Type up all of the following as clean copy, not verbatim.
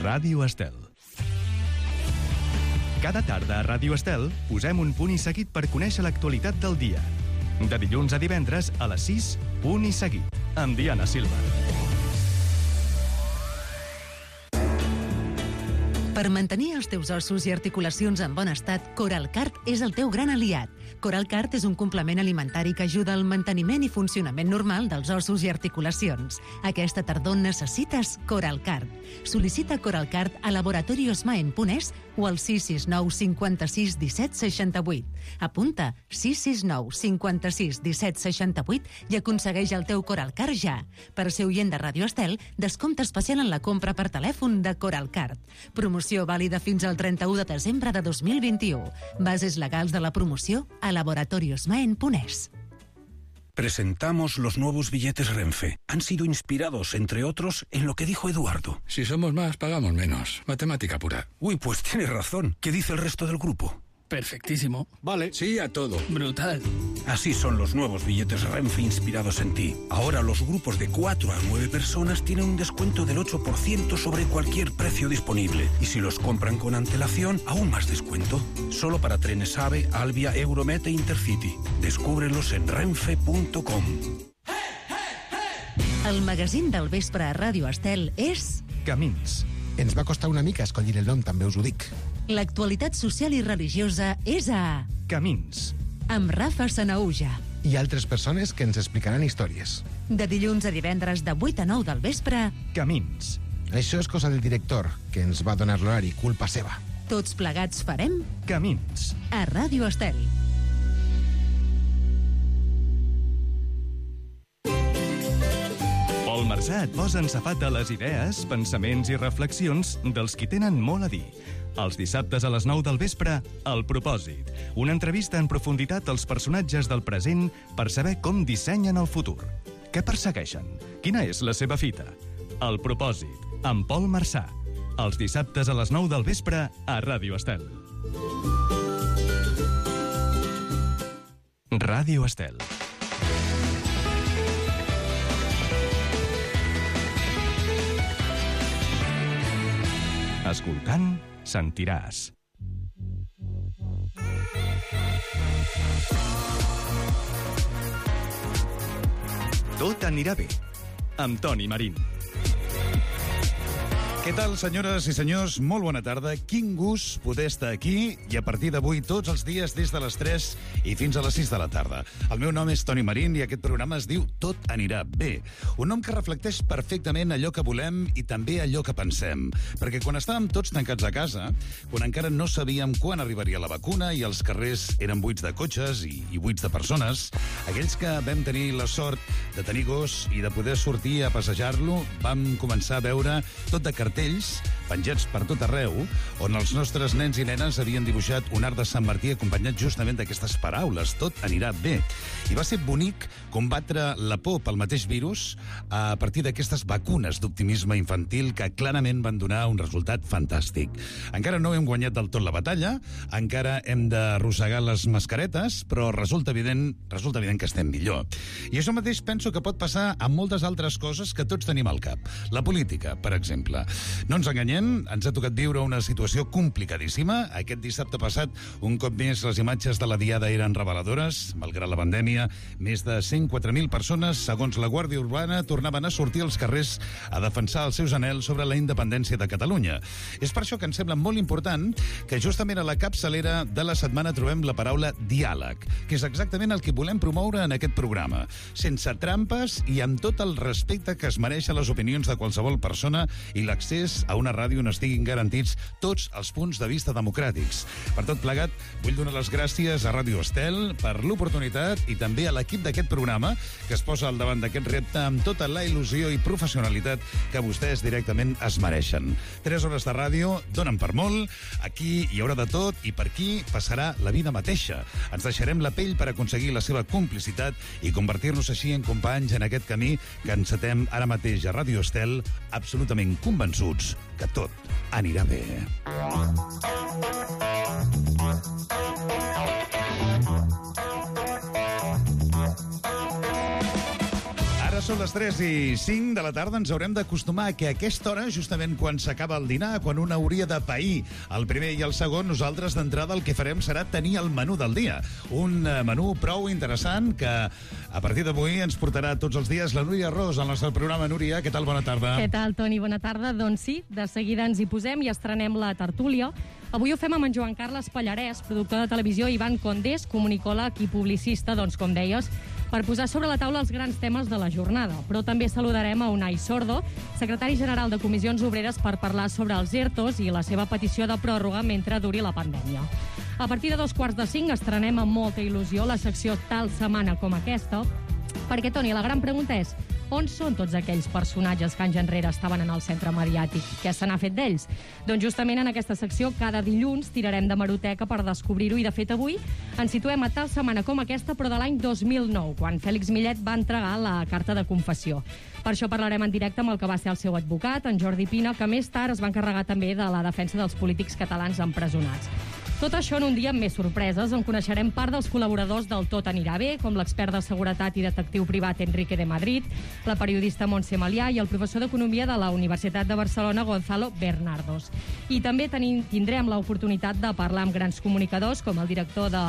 Ràdio Estel. Cada tarda a Ràdio Estel posem un punt i seguit per conèixer l'actualitat del dia. De dilluns a divendres a les 6, punt i seguit, amb Diana Silva. Per mantenir els teus ossos i articulacions en bon estat, Coralcart és el teu gran aliat. Coralcart és un complement alimentari que ajuda al manteniment i funcionament normal dels ossos i articulacions. Aquesta tardor necessites Coralcart. Sol·licita Coralcart a laboratoriosmaen.es o al 669 56 17 68. Apunta 669 56 17 68 i aconsegueix el teu Coralcart ja. Per ser oient de Ràdio Estel, descompte especial en la compra per telèfon de Coralcart. Promoció vàlida fins al 31 de desembre de 2021. Bases legals de la promoció a laboratoriosmaen.es. Presentamos los nuevos billetes Renfe. Han sido inspirados, entre otros, en lo que dijo Eduardo. Si somos más, pagamos menos. Matemática pura. Uy, pues tienes razón. ¿Qué dice el resto del grupo? Perfectísimo. Vale, sí a todo. Brutal. Así son los nuevos billetes Renfe inspirados en ti. Ahora los grupos de 4 a 9 personas tienen un descuento del 8% sobre cualquier precio disponible. Y si los compran con antelación, aún más descuento. Solo para trenes AVE, Alvia, Euromet e Intercity. Descúbrelos en renfe.com. El magazín del vespre a Ràdio Estel és... Camins. Ens va costar una mica escollir el nom, també us ho dic. L'actualitat social i religiosa és a... Camins. Amb Rafa Sanaúja. I altres persones que ens explicaran històries. De dilluns a divendres de 8 a 9 del vespre... Camins. Això és cosa del director, que ens va donar l'horari, culpa seva. Tots plegats farem... Camins. A Ràdio Estel. Pol Marsà et posa en safata les idees, pensaments i reflexions dels qui tenen molt a dir. Els dissabtes a les 9 del vespre, El Propòsit. Una entrevista en profunditat als personatges del present per saber com dissenyen el futur. Què persegueixen? Quina és la seva fita? El Propòsit, amb Pol Marsà. Els dissabtes a les 9 del vespre a Ràdio Estel. Ràdio Estel. Escoltant, sentiràs. Tot anirà bé, amb Toni Marín. Què tal, senyores i senyors? Molt bona tarda. Quin gust poder estar aquí i a partir d'avui tots els dies des de les 3 i fins a les 6 de la tarda. El meu nom és Toni Marín i aquest programa es diu Tot anirà bé. Un nom que reflecteix perfectament allò que volem i també allò que pensem. Perquè quan estàvem tots tancats a casa, quan encara no sabíem quan arribaria la vacuna i els carrers eren buits de cotxes i buits de persones, aquells que vam tenir la sort de tenir gos i de poder sortir a passejar-lo, vam començar a veure tot de cartells penjats per tot arreu, on els nostres nens i nenes havien dibuixat un arc de Sant Martí acompanyat justament d'aquestes paraules, tot anirà bé. I va ser bonic combatre la por pel mateix virus a partir d'aquestes vacunes d'optimisme infantil que clarament van donar un resultat fantàstic. Encara no hem guanyat del tot la batalla, encara hem d'arrossegar les mascaretes, però resulta evident que estem millor. I això mateix penso que pot passar amb moltes altres coses que tots tenim al cap. La política, per exemple. No ens enganyem, ens ha tocat viure una situació complicadíssima. Aquest dissabte passat, un cop més, les imatges de la Diada eren reveladores. Malgrat la pandèmia, més de 104.000 persones, segons la Guàrdia Urbana, tornaven a sortir als carrers a defensar els seus anhels sobre la independència de Catalunya. És per això que ens sembla molt important que justament a la capçalera de la setmana trobem la paraula diàleg, que és exactament el que volem promoure en aquest programa. Sense trampes i amb tot el respecte que es mereixen les opinions de qualsevol persona i l'accés a una ràdio on estiguin garantits tots els punts de vista democràtics. Per tot plegat, vull donar les gràcies a Ràdio Estel per l'oportunitat i també a l'equip d'aquest programa que es posa al davant d'aquest repte amb tota la il·lusió i professionalitat que vostès directament es mereixen. 3 hores de ràdio donen per molt, aquí hi haurà de tot i per aquí passarà la vida mateixa. Ens deixarem la pell per aconseguir la seva complicitat i convertir-nos així en companys en aquest camí que encetem ara mateix a Ràdio Estel, absolutament convençuts que tot anirà bé. Són les 3:05 de la tarda. Ens haurem d'acostumar a que a aquesta hora, justament quan s'acaba el dinar, quan un hauria de pair el primer i el segon, nosaltres d'entrada el que farem serà tenir el menú del dia. Un menú prou interessant que a partir d'avui ens portarà tots els dies la Núria Ros al nostre programa. Núria, què tal? Bona tarda. Què tal, Toni? Bona tarda. Doncs sí, de seguida ens hi posem i estrenem la tertúlia. Avui ho fem amb en Joan Carles Pallarès, productor de televisió, Ivan Condés, comunicòleg i publicista, doncs, com deies, per posar sobre la taula els grans temes de la jornada. Però també saludarem a Unai Sordo, secretari general de Comissions Obreres, per parlar sobre els ERTOs i la seva petició de pròrroga mentre duri la pandèmia. A partir de 4:45 estrenem amb molta il·lusió la secció Tal setmana com aquesta, perquè, Toni, la gran pregunta és: on són tots aquells personatges que anys enrere estaven en el centre mediàtic? Què se n'ha fet d'ells? Doncs justament en aquesta secció, cada dilluns tirarem de meroteca per descobrir-ho, i de fet avui ens situem a tal setmana com aquesta, però de l'any 2009, quan Fèlix Millet va entregar la carta de confessió. Per això parlarem en directe amb el que va ser el seu advocat, en Jordi Pina, que més tard es va encarregar també de la defensa dels polítics catalans empresonats. Tot això en un dia amb més sorpreses, on coneixerem part dels col·laboradors del Tot anirà bé, com l'expert de seguretat i detectiu privat Enrique de Madrid, la periodista Montse Malià i el professor d'Economia de la Universitat de Barcelona, Gonzalo Bernardos. I també tindrem l'oportunitat de parlar amb grans comunicadors, com el director de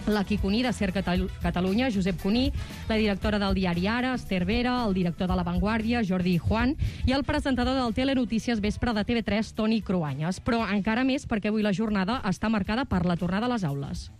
l'Aqui Cuní de Ser Catalunya, Josep Cuní, la directora del diari Ara, Esther Vera, el director de La Vanguardia, Jordi Juan, i el presentador del Telenotícies Vespre de TV3, Toni Cruanyes. Però encara més perquè avui la jornada està marcada per la tornada a les aules.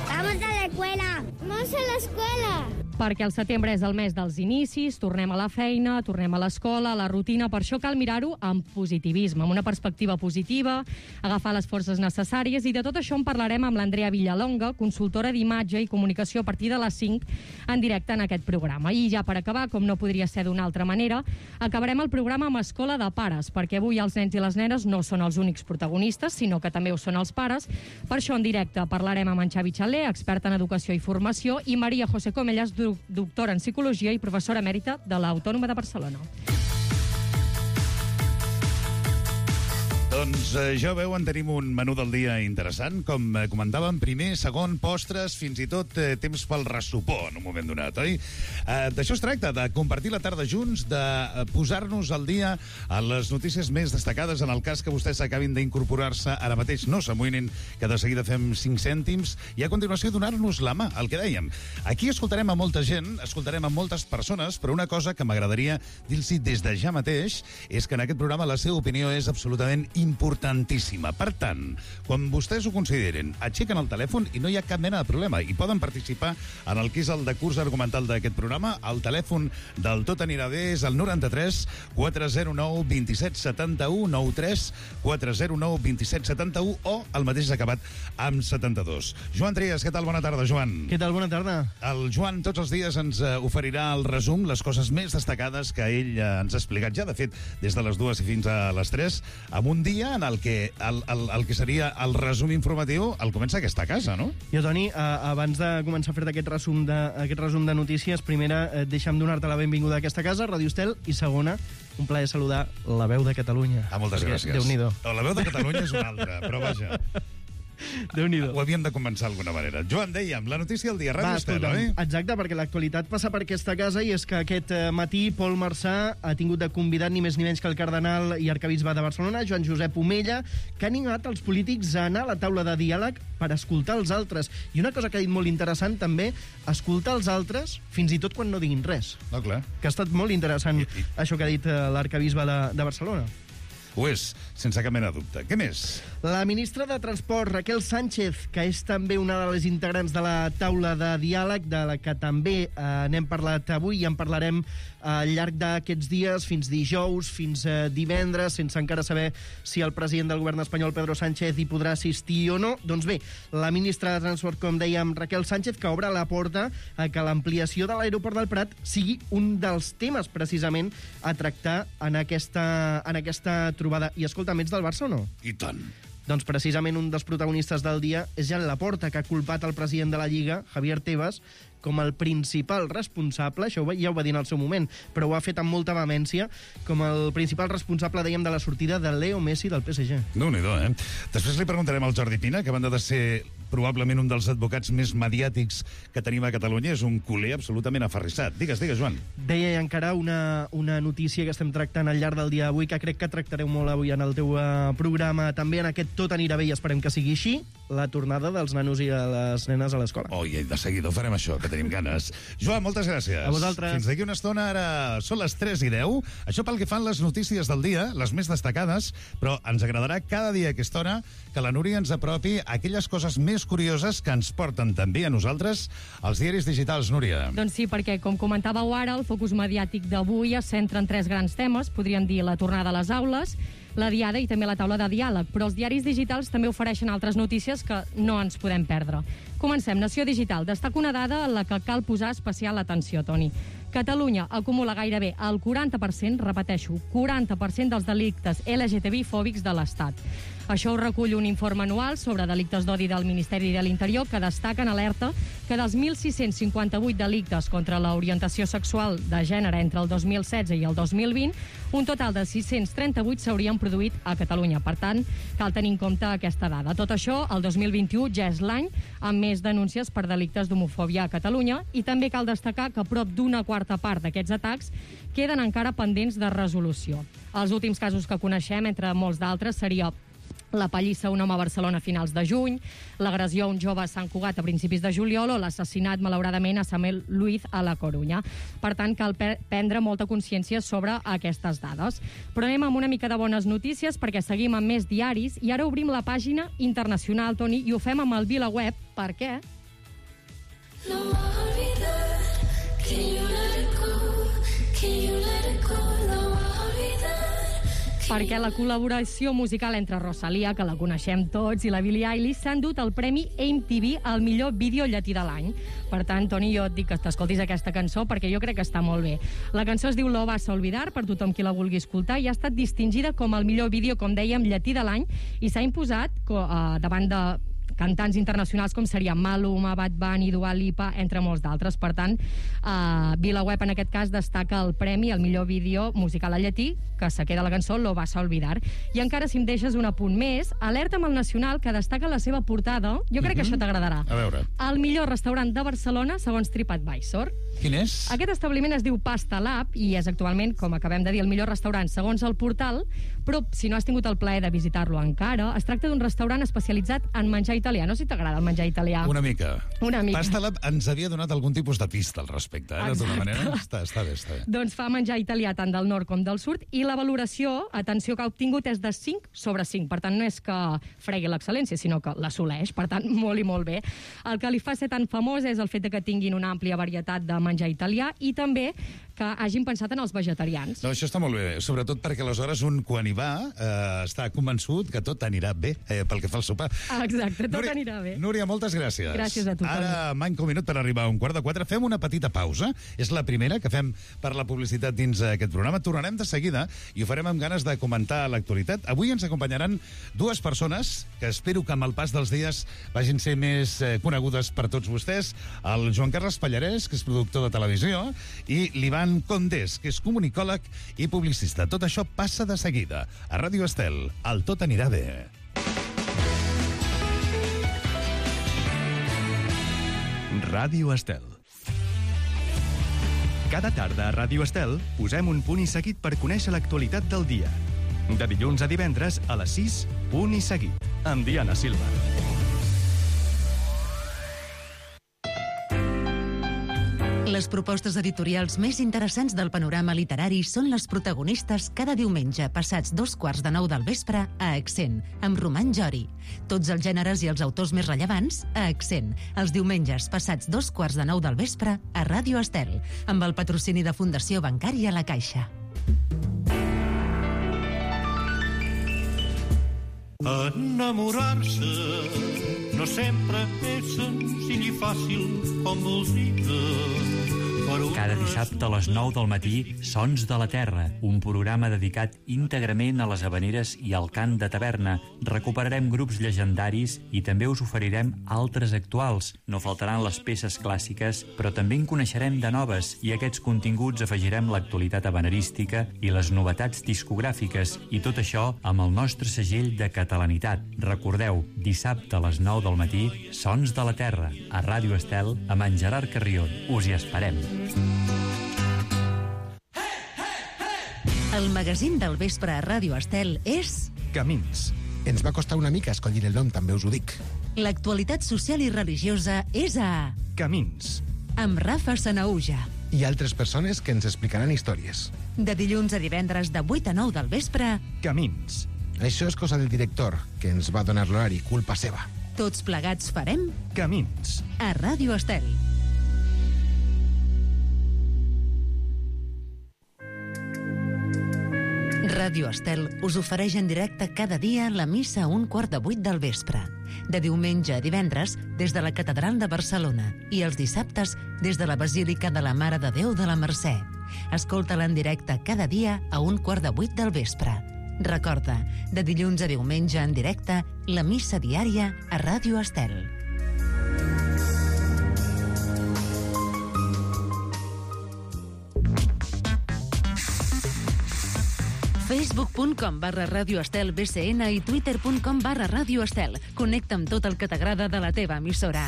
Vamos a la escuela. Vamos a la escuela. Perquè el setembre és el mes dels inicis, tornem a la feina, tornem a l'escola, a la rutina. Per això cal mirar-ho amb positivisme, amb una perspectiva positiva, agafar les forces necessàries, i de tot això en parlarem amb l'Andrea Villalonga, consultora d'imatge i comunicació, a partir de les 5 en directe en aquest programa. I ja per acabar, com no podria ser d'una altra manera, acabarem el programa amb Escola de Pares, perquè avui els nens i les nenes no són els únics protagonistes, sinó que també ho són els pares. Per això en directe parlarem amb en Xavi Xaler, expert en educació i formació, i Maria José Comellas, doctora en psicologia i professora emèrita de l'Autònoma de Barcelona. Doncs ja veuen, tenim un menú del dia interessant. Com comentàvem, primer, segon, postres, fins i tot temps pel ressupor en un moment donat, oi? D'això es tracta, de compartir la tarda junts, de posar-nos al dia a les notícies més destacades, en el cas que vostès acabin d'incorporar-se ara mateix. No s'amoïnin, que de seguida fem 5 cèntims, i a continuació donar-nos la mà, el que dèiem. Aquí escoltarem a molta gent, escoltarem a moltes persones, però una cosa que m'agradaria dir-los des de ja mateix és que en aquest programa la seva opinió és absolutament importantíssima. Per tant, quan vostès ho consideren, aixequen el telèfon i no hi ha cap mena de problema, i poden participar en el que és el decurs argumental d'aquest programa. El telèfon del Tot anirà bé és el 93 409 27 71, 93 409 27 71, o el mateix acabat amb 72. Joan Trias, què tal? Bona tarda, Joan. Què tal? Bona tarda. El Joan tots els dies ens oferirà el resum, les coses més destacades que ell ens ha explicat ja, de fet, des de les 2 i fins a les 3, amb un dia en el que el que seria el resum informatiu el comença aquesta casa, no? Jo, Toni, abans de començar a fer aquest resum de notícies, primera, deixa'm donar-te la benvinguda a aquesta casa, Ràdio Estel, i segona, un plaer saludar la veu de Catalunya. Moltes gràcies. Déu-n'hi-do. No, la veu de Catalunya és una altra, però vaja. Déu-n'hi-do. Ho havíem de començar d'alguna manera. Joan, dèiem, la notícia del dia, Ràdio Estel, oi? Exacte, perquè l'actualitat passa per aquesta casa, i és que aquest matí Pol Marçà ha tingut de convidat ni més ni menys que el cardenal i arquebisbe de Barcelona, Joan Josep Omella, que ha animat els polítics a anar a la taula de diàleg per escoltar els altres. I una cosa que ha dit molt interessant, també, escoltar els altres fins i tot quan no diguin res. No, clar. Que ha estat molt interessant això que ha dit l'arquebisbe de Barcelona. Ho és, sense cap mena de dubte. Què més? La ministra de Transport, Raquel Sánchez, que és també una de les integrants de la taula de diàleg, de la que també n'hem parlat avui i en parlarem al llarg d'aquests dies, fins dijous, fins divendres, sense encara saber si el president del govern espanyol, Pedro Sánchez, hi podrà assistir o no. Doncs bé, la ministra de Transport, com dèiem, Raquel Sánchez, que obre la porta a que l'ampliació de l'aeroport del Prat sigui un dels temes, precisament, a tractar en aquesta trobada. I escolta, ets del Barça o no? I tant. Doncs precisament un dels protagonistes del dia és Jan Laporta, que ha culpat el president de la Lliga, Javier Tebas, com el principal responsable, això ja ho va dir en el seu moment, però ho ha fet amb molta vehemència, com el principal responsable, dèiem, de la sortida de Leo Messi del PSG. Déu-n'hi-do, eh? Després li preguntarem al Jordi Pina, que a banda de ser probablement un dels advocats més mediàtics que tenim a Catalunya, és un culer absolutament aferrissat. Digues, Joan. Deia encara una notícia que estem tractant al llarg del dia d'avui, que crec que tractareu molt avui en el teu programa, també en aquest Tot anirà bé, i esperem que sigui així, la tornada dels nanos i les nenes a l'escola. I de seguida ho farem això, que tenim ganes. Joan, moltes gràcies. A vosaltres. Fins d'aquí una estona, ara són les 3:10. Això pel que fan les notícies del dia, les més destacades, però ens agradarà cada dia a aquesta hora que la Núria ens apropi aquelles coses més curioses que ens porten també a nosaltres als diaris digitals, Núria. Doncs sí, perquè, com comentàveu ara, el focus mediàtic d'avui es centra en 3 grans temes, podríem dir la tornada a les aules, la diada i també la taula de diàleg, però els diaris digitals també ofereixen altres notícies que no ens podem perdre. Comencem. Nació Digital destaca una dada en la que cal posar especial atenció, Toni. Catalunya acumula gairebé el 40%, repeteixo, 40% dels delictes LGTBI-fòbics de l'Estat. Això ho recull un informe anual sobre delictes d'odi del Ministeri de l'Interior que destaca en alerta que dels 1.658 delictes contra l'orientació sexual de gènere entre el 2016 i el 2020, un total de 638 s'haurien produït a Catalunya. Per tant, cal tenir en compte aquesta dada. Tot això, el 2021 ja és l'any amb més denúncies per delictes d'homofòbia a Catalunya, i també cal destacar que prop d'una quarta part d'aquests atacs queden encara pendents de resolució. Els últims casos que coneixem, entre molts d'altres, seria la pallissa a un home a Barcelona a finals de juny, l'agressió a un jove a Sant Cugat a principis de juliol o l'assassinat, malauradament, a Samuel Luiz a la Corunya. Per tant, cal prendre molta consciència sobre aquestes dades. Però anem amb una mica de bones notícies, perquè seguim amb més diaris, i ara obrim la pàgina internacional, Toni, i ho fem amb el VilaWeb. Per què? No olvidar que you let it go, que you let it go, no perquè la col·laboració musical entre Rosalia, que la coneixem tots, i la Billie Eilish s'han dut el premi MTV al millor vídeo llatí de l'any. Per tant, Toni, jo et dic que t'escoltis aquesta cançó perquè jo crec que està molt bé. La cançó es diu Lo vas a olvidar, per tothom qui la vulgui escoltar, i ha estat distingida com el millor vídeo, com dèiem, llatí de l'any, i s'ha imposat davant de cantants internacionals com serien Maluma, Bad Bunny, Dua Lipa, entre molts d'altres. Per tant, VilaWeb en aquest cas destaca el premi al millor vídeo musical al llatí, que se queda la cançó Lo vas a olvidar. I encara, si em deixes un apunt més, alerta amb el Nacional, que destaca la seva portada. Jo crec que això t'agradarà. A veure. El millor restaurant de Barcelona segons TripAdvisor. Quin és? Aquest establiment es diu Pasta Lab i és actualment, com acabem de dir, el millor restaurant segons el portal, però si no has tingut el plaer de visitar-lo encara, es tracta d'un restaurant especialitzat en menjar italià. No sé si t'agrada el menjar italià. Una mica. Una mica. Pasta Lab ens havia donat algun tipus de pista al respecte, d'alguna manera. Està bé. Doncs fa menjar italià tant del nord com del sud, i la valoració, atenció, que ha obtingut és de 5 sobre 5. Per tant, no és que fregui l'excel·lència, sinó que l'assoleix. Per tant, molt i molt bé. El que li fa ser tan famós és el fet que tinguin una àmplia varietat de menjar italià i també que hagin pensat en els vegetarians. No, això està molt bé, sobretot perquè aleshores un, quan hi va, està convençut que tot anirà bé pel que fa al sopar. Exacte, tot anirà bé. Núria, moltes gràcies. Gràcies a tu. Ara manca un minut per arribar a 3:45. Fem una petita pausa. És la primera que fem per la publicitat dins aquest programa. Tornarem de seguida i ho farem amb ganes de comentar l'actualitat. Avui ens acompanyaran dues persones que espero que amb el pas dels dies vagin ser més conegudes per tots vostès. El Joan Carles Pallarès, que és productor de televisió, i l'Ivan Condés, que és comunicòleg i publicista. Tot això passa de seguida. A Ràdio Estel, el Tot anirà bé. Ràdio Estel. Cada tarda a Ràdio Estel posem un punt i seguit per conèixer l'actualitat del dia. De dilluns a divendres a les 6, punt i seguit, amb Diana Silva. Les propostes editorials més interessants del panorama literari són les protagonistes cada diumenge passats 9:15 del vespre a Accent, amb Roman Jori. Tots els gèneres i els autors més rellevants a Accent, els diumenges passats 9:15 del vespre a Ràdio Estel, amb el patrocini de Fundació Bancària La Caixa. Enamorar-se no sempre és senzill i fàcil com vols dir. Cada dissabte a les 9 del matí, Sons de la Terra, un programa dedicat íntegrament a les havaneres i al cant de taverna. Recuperarem grups llegendaris i també us oferirem altres actuals. No faltaran les peces clàssiques, però també en coneixerem de noves, i a aquests continguts afegirem l'actualitat havanerística i les novetats discogràfiques, i tot això amb el nostre segell de catalanitat. Recordeu, dissabte a les 9 del matí, Sons de la Terra, a Ràdio Estel, amb en Gerard Carrion. Us hi esperem. El magazín del vespre a Ràdio Estel és... Camins. Ens va costar una mica escollir el nom, també us ho dic. L'actualitat social i religiosa és a... Camins. Amb Rafa Sanaúja. I altres persones que ens explicaran històries. De dilluns a divendres de 8 a 9 del vespre... Camins. Això és cosa del director, que ens va donar l'horari, culpa seva. Tots plegats farem... Camins. A Ràdio Estel. Ràdio Estel us ofereix en directe cada dia la missa a 7:15 del vespre. De diumenge a divendres, des de la Catedral de Barcelona, i els dissabtes, des de la Basílica de la Mare de Déu de la Mercè. Escolta-la en directe cada dia a 7:15 del vespre. Recorda, de dilluns a diumenge en directe, la missa diària a Ràdio Estel. facebook.com/radioestelbcn i twitter.com/radioestel. Connecta amb tot el que t'agrada de la teva emissora.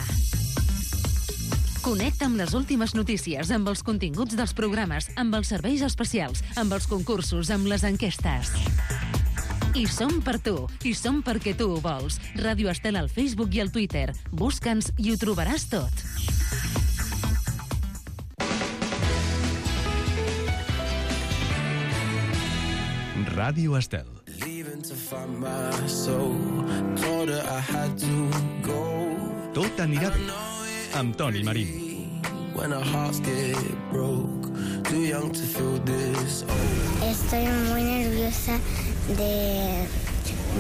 Connecta amb les últimes notícies, amb els continguts dels programes, amb els serveis especials, amb els concursos, amb les enquestes. I som per tu, i som perquè tu ho vols. Ràdio Estel al Facebook i al Twitter. Busca'ns i ho trobaràs tot. Ràdio Estel. Tot anirà bé, amb Toni Marín. Estoy muy nerviosa de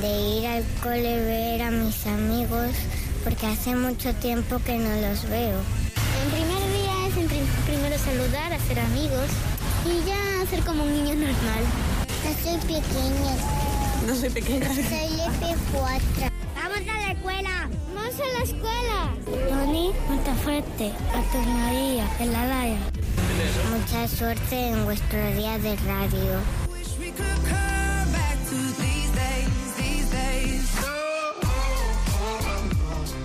ir al cole, ver a mis amigos, porque hace mucho tiempo que no los veo. El primer día es primero saludar, hacer amigos y ya ser como un niño normal. No soy pequeña. No soy pequeña. Soy F4. ¡Vamos a la escuela! ¡Vamos a la escuela! Tony, ponte fuerte. A tu María, en la raya. Mucha suerte en vuestro día de radio.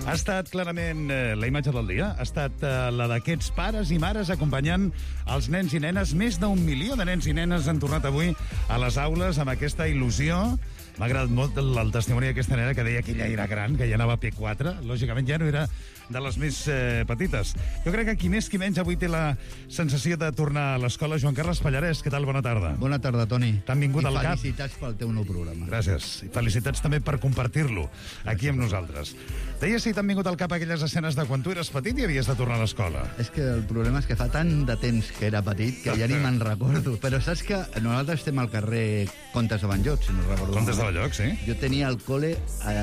Ha estat clarament la imatge del dia, ha estat la d'aquests pares i mares acompanyant els nens i nenes. Més d'1 milió de nens i nenes han tornat avui a les aules amb aquesta il·lusió. M'ha agradat molt el testimoni d'aquesta nena que deia que ella era gran, que ja anava a P4. Lògicament ja no era de les més petites. Jo crec que qui més qui menys avui té la sensació de tornar a l'escola. Joan Carles Pallarès, què tal? Bona tarda. Bona tarda, Toni. T'han vingut al cap. I felicitats pel teu nou programa. Gràcies. I felicitats també per compartir-lo aquí amb nosaltres. Deies si t'han vingut al cap aquelles escenes de quan tu eres petit i havies de tornar a l'escola. És que el problema és que fa tant de temps que era petit que ja ni me'n recordo. Però saps que nosaltres estem al carrer Comtes de Banyots, si no recordo. Comtes de Banyots, sí. Jo tenia el cole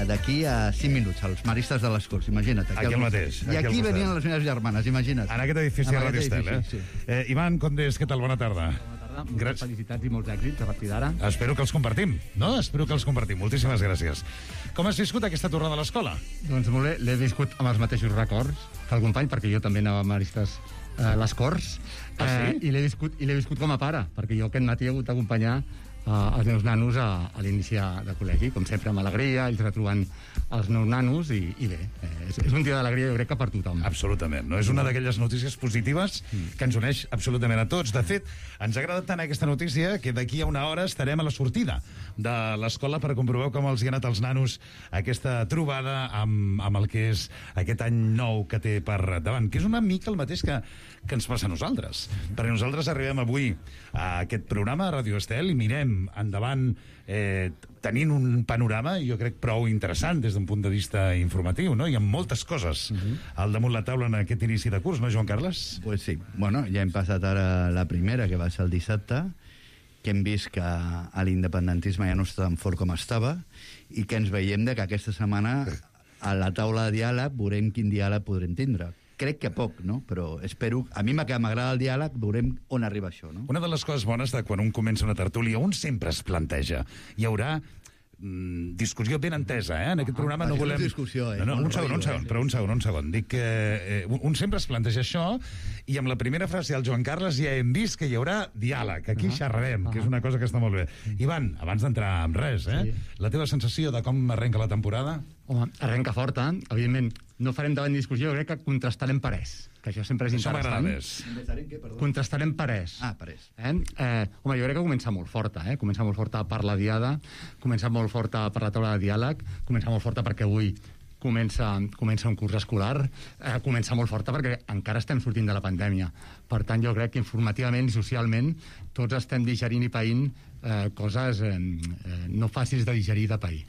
d'aquí a 5 minuts, als Maristes de les Corts, imagina't. Aquí al mateix. I aquí venien les meves germanes, imagina't. En aquest edifici de Ràdio Estel, eh? Sí. Ivan Condés, què tal? Bona tarda. Moltes felicitats i molts èxits a partir d'ara. Espero que els compartim, no? Espero que els compartim. Moltíssimes gràcies. Com has viscut aquesta tornada a l'escola? Doncs molt bé, l'he viscut amb els mateixos records que el company, perquè jo també anava a Maristes les Corts. Sí? I l'he viscut com a pare, perquè jo aquest matí he hagut d'acompanyar els meus nanos a l'inici de col·legi, com sempre amb alegria, ells retrobant els meus nanos i bé, és un dia d'alegria jo crec que per tothom. Absolutament, no? És una d'aquelles notícies positives que ens uneix absolutament a tots. De fet, ens agrada tant aquesta notícia que d'aquí a una hora estarem a la sortida de l'escola per comprovar com els hi ha anat als nanos aquesta trobada amb el que és aquest any nou que té per davant, que és una mica el mateix que ens passa a nosaltres. Perquè nosaltres arribem avui a aquest programa a Ràdio Estel i mirem endavant tenint un panorama, jo crec, prou interessant des d'un punt de vista informatiu, no? Hi ha moltes coses al damunt la taula en aquest inici de curs, no, Joan Carles? Pues sí. Bueno, ja hem passat ara la primera, que va ser el dissabte, que hem vist que l'independentisme ja no està tan fort com estava i que ens veiem que aquesta setmana a la taula de diàleg veurem quin diàleg podrem tindre. crec que poc, no? Però espero... A mi m'agrada el diàleg, veurem on arriba això, no? Una de les coses bones de quan un comença una tertúlia, un sempre es planteja. Hi haurà discussió ben entesa, En aquest programa no volem... discussió, un segon. Dic que un sempre es planteja això i amb la primera frase del Joan Carles ja hem vist que hi haurà diàleg. Aquí xerrarem, que és una cosa que està molt bé. Ivan, abans d'entrar en res, la teva sensació de com arrenca la temporada? Home, arrenca forta. Evidentment, no farem davant discussió, crec que contrastarem parers, que això sempre és interessant. Contrastarem parers. Parers. Home, jo crec que comença molt forta, Comença molt forta per la diada, comença molt forta per la taula de diàleg, comença molt forta perquè avui comença un curs escolar, comença molt forta perquè encara estem sortint de la pandèmia. Per tant, jo crec que informativament i socialment tots estem digerint i païnt coses no fàcils de digerir de pair.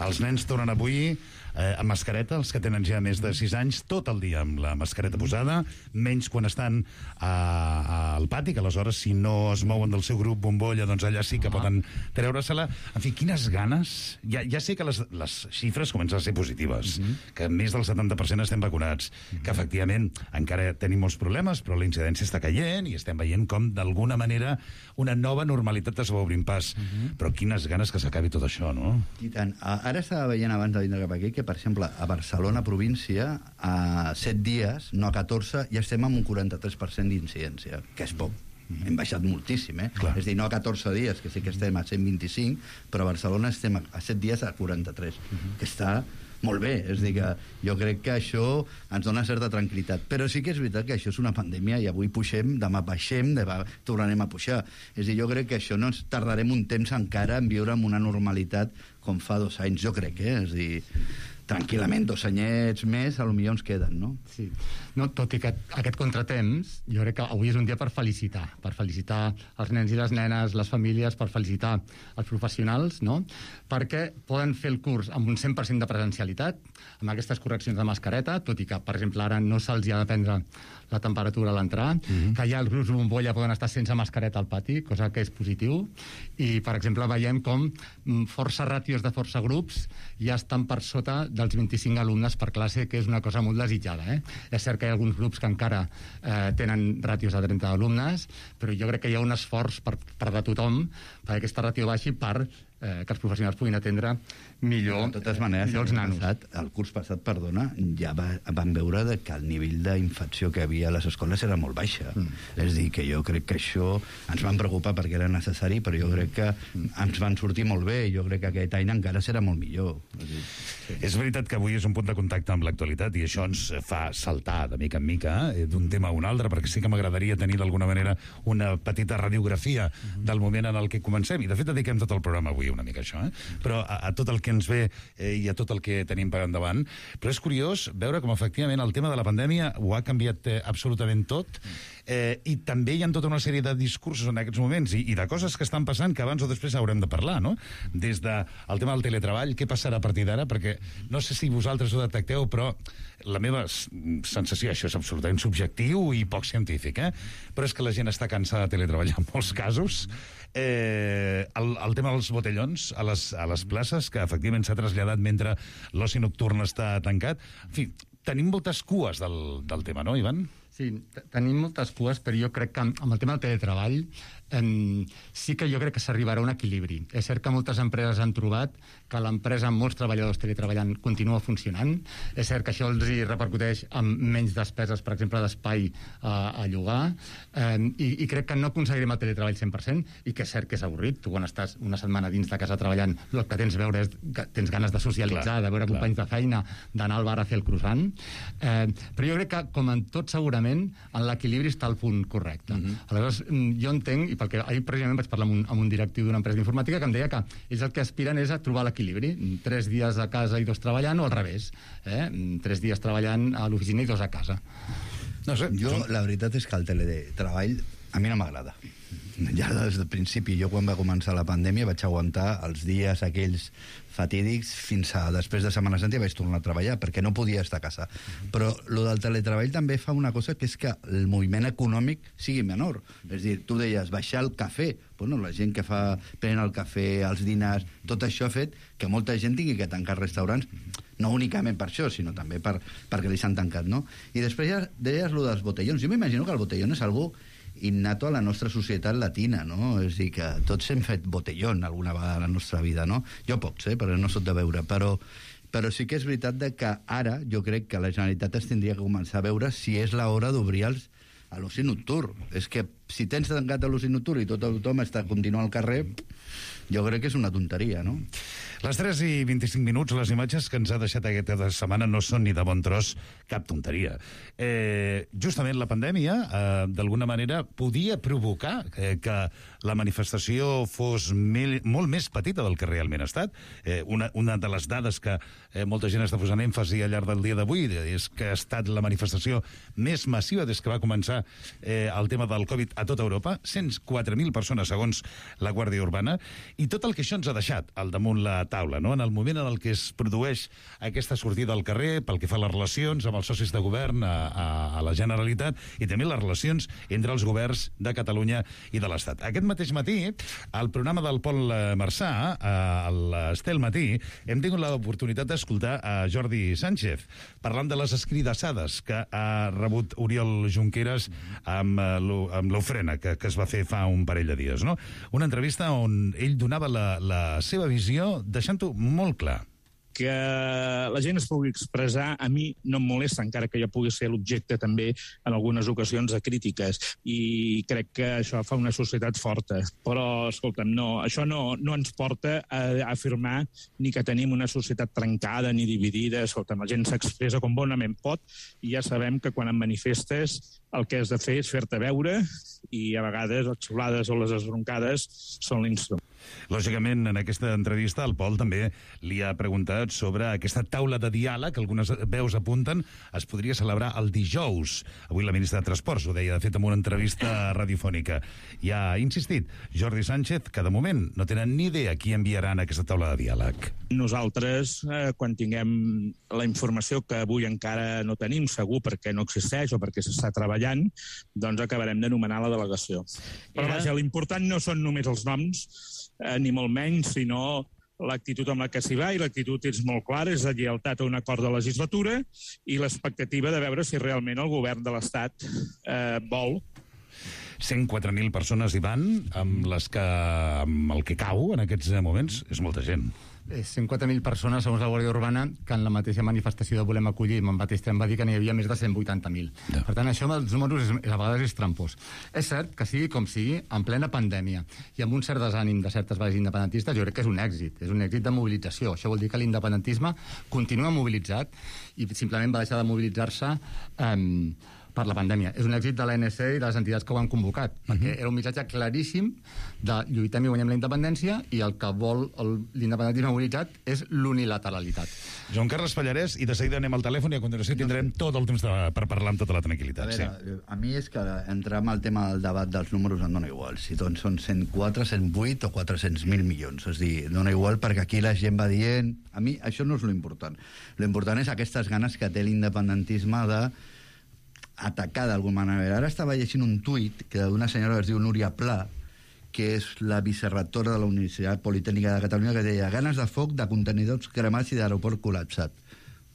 Els nens tornen avui amb mascareta, els que tenen ja més de 6 anys, tot el dia amb la mascareta posada, menys quan estan al pati, que aleshores si no es mouen del seu grup bombolla, doncs allà sí que poden treure-se-la. En fi, quines ganes! Ja sé que les xifres comencen a ser positives, que més del 70% estem vacunats, que efectivament encara tenim molts problemes, però la incidència està caient i estem veient com d'alguna manera una nova normalitat es va obrint pas. Però quines ganes que s'acabi tot això, no? I tant. Ara estava veient abans de vindre cap aquí que, per exemple, a Barcelona província, a 7 dies, no a 14, ja estem amb un 43% d'incidència, que és poc. Hem baixat moltíssim, És a dir, no a 14 dies, que sí que estem a 125, però a Barcelona estem a 7 dies a 43, que està molt bé. És a dir, que jo crec que això ens dona certa tranquil·litat. Però sí que és veritat que això és una pandèmia i avui pugem, demà baixem, tornarem a pujar. És a dir, jo crec que això no ens tardarem un temps encara en viure amb una normalitat com fa 2 anys, jo crec, És a dir, tranquil·lament, 2 anyets més, potser ens queden, no? Sí. No, tot i que aquest contratemps, jo crec que avui és un dia per felicitar els nens i les nenes, les famílies, per felicitar els professionals, no? Perquè poden fer el curs amb un 100% de presencialitat, amb aquestes correccions de mascareta, tot i que, per exemple, ara no se'ls ha de prendre la temperatura a l'entrar, que ja els grups bombolla poden estar sense mascareta al pati, cosa que és positiu, i, per exemple, veiem com força ràtios de força grups ja estan per sota dels 25 alumnes per classe, que és una cosa molt desitjada. És cert que hi ha alguns grups que encara tenen ràtios de 30 alumnes, però jo crec que hi ha un esforç per de tothom perquè aquesta ràtio baixi per que els professionals puguin atendre millor, de totes maneres, els nanos. El curs passat, ja vam veure que el nivell d'infecció que hi havia a les escoles era molt baixa. És a dir, que jo crec que això ens van preocupar perquè era necessari, però jo crec que ens van sortir molt bé i jo crec que aquest any encara serà molt millor. És veritat que avui és un punt de contacte amb l'actualitat i això ens fa saltar de mica en mica d'un tema a un altre, perquè sí que m'agradaria tenir d'alguna manera una petita radiografia del moment en el que comencem, i de fet dediquem tot el programa avui una mica a això, però a tot el que ens ve i a tot el que tenim per endavant. Però és curiós veure com efectivament el tema de la pandèmia ho ha canviat absolutament tot, i també hi ha tota una sèrie de discursos en aquests moments i de coses que estan passant que abans o després haurem de parlar, no? Des del tema del teletreball, què passarà a partir d'ara, perquè no sé si vosaltres ho detecteu, però la meva sensació, això és absolutament subjectiu i poc científic, però és que la gent està cansada de teletreballar en molts casos. El tema dels botellons a les places, que efectivament s'ha traslladat mentre l'oci nocturn està tancat. En fi, tenim moltes cues del tema, no, Ivan? Sí, tenim moltes cues, però jo crec que amb el tema del teletreball sí que jo crec que s'arribarà a un equilibri. És cert que moltes empreses han trobat que l'empresa amb molts treballadors teletreballant continua funcionant. És cert que això els repercuteix amb menys despeses, per exemple, d'espai a llogar, i crec que no aconseguirem el teletreball 100%, i que és cert que és avorrit. Tu, quan estàs una setmana dins de casa treballant, el que tens veure és que tens ganes de socialitzar, de veure companys de feina, d'anar al bar a fer el croissant. Però jo crec que, com en tot, segurament, en l'equilibri està el punt correcte. Aleshores, jo entenc, perquè ahir precisament vaig parlar amb un directiu d'una empresa d'informàtica que em deia que ells el que aspiren és a trobar l'equilibri, 3 dies a casa i 2 treballant, o al revés, 3 dies treballant a l'oficina i 2 a casa. No sé. Jo, la veritat és que el teletreball A mi no m'agrada. Ja des del principi, jo quan va començar la pandèmia vaig aguantar els dies aquells fatídics fins a després de Setmana Santa i vaig tornar a treballar perquè no podia estar a casa. Però lo del teletreball també fa una cosa que és que el moviment econòmic sigui menor. És a dir, tu deies baixar el cafè, bueno, la gent que pren el cafè, els dinars, tot això ha fet que molta gent tingui que tancar restaurants, no únicament per això, sinó també perquè li s'han tancat, no? I després ja deies lo dels botellons. Jo m'imagino que el botellón és algú innato a la nostra societat latina, no? És a dir, que tots hem fet botellón alguna vegada a la nostra vida, no? Jo pocs, perquè no soc de veure, però sí que és veritat que ara jo crec que la Generalitat es tindria que començar a veure si és l'hora d'obrir a l'oci nocturn. És que si tens tancat a l'oci nocturn i tothom està continuant al carrer, jo crec que és una tonteria, no? Les 3:25, les imatges que ens ha deixat aquesta setmana no són ni de bon tros cap tonteria. Justament la pandèmia, d'alguna manera, podia provocar que la manifestació fos molt més petita del que realment ha estat. Una de les dades que molta gent està posant èmfasi al llarg del dia d'avui és que ha estat la manifestació més massiva des que va començar el tema del Covid a tota Europa, 104.000 persones segons la Guàrdia Urbana, i tot el que això ens ha deixat al damunt la taula, no? En el moment en el que es produeix aquesta sortida al carrer, pel que fa a les relacions amb els socis de govern a la Generalitat, i també les relacions entre els governs de Catalunya i de l'Estat. Aquest mateix matí, al programa del Pol Marçà, a l'Estel Matí, hem tingut l'oportunitat d'escoltar a Jordi Sánchez parlant de les escridassades que ha rebut Oriol Junqueras amb l'ofrena que es va fer fa un parell de dies, no? Una entrevista on ell donava la seva visió, deixant-ho molt clar. Que la gent es pugui expressar, a mi no em molesta, encara que jo pugui ser l'objecte també en algunes ocasions de crítiques, i crec que això fa una societat forta. Però, escolta'm, això no ens porta a afirmar ni que tenim una societat trencada ni dividida. Escolta'm, la gent s'expressa com bonament pot, i ja sabem que quan em manifestes el que has de fer és fer-te veure, i a vegades les xiulades o les esbroncades són l'instrument. Lògicament, en aquesta entrevista, el Pol també li ha preguntat sobre aquesta taula de diàleg, que algunes veus apunten, es podria celebrar el dijous. Avui la ministra de Transports ho deia, de fet, en una entrevista radiofònica. I ha insistit Jordi Sánchez que, de moment, no tenen ni idea qui enviaran a aquesta taula de diàleg. Nosaltres, quan tinguem la informació que avui encara no tenim, segur perquè no existeix o perquè s'està treballant, doncs acabarem d'anomenar la delegació. Però vaja, l'important no són només els noms, ni molt menys, sinó l'actitud amb la que s'hi va, i l'actitud és molt clara, és de lleialtat a un acord de legislatura i l'expectativa de veure si realment el govern de l'Estat vol. 104.000 persones hi van, amb el que cau en aquests moments, és molta gent. 104.000 persones, segons la Guàrdia Urbana, que en la mateixa manifestació de Volem Acollir, en mateix temps va dir que n'hi havia més de 180.000. No. Per tant, això amb els números a vegades és trampós. És cert que sigui com sigui, en plena pandèmia i amb un cert desànim de certes bases independentistes, jo crec que és un èxit de mobilització. Això vol dir que l'independentisme continua mobilitzat i simplement va deixar de mobilitzar-se per la pandèmia. És un èxit de l'ANC i de les entitats que ho han convocat, perquè era un missatge claríssim de lluitem i guanyem la independència, i el que vol l'independentisme mobilitzat és l'unilateralitat. Joan Carles Pallarès, i de seguida anem al telèfon i a continuació tindrem tot el temps per parlar amb tota la tranquil·litat. A veure, a mi és que entrar en el tema del debat dels números em dona igual, si doncs són 104, 108 o 400.000 milions, és a dir, dona igual perquè aquí la gent va dient... A mi això no és l'important. L'important és aquestes ganes que té l'independentisme de atacar d'alguna manera. Ara estava llegint un tuit d'una senyora que es diu Núria Pla, que és la vicerrectora de la Universitat Politècnica de Catalunya, que deia ganes de foc, de contenidors cremats i d'aeroport col·lapsat.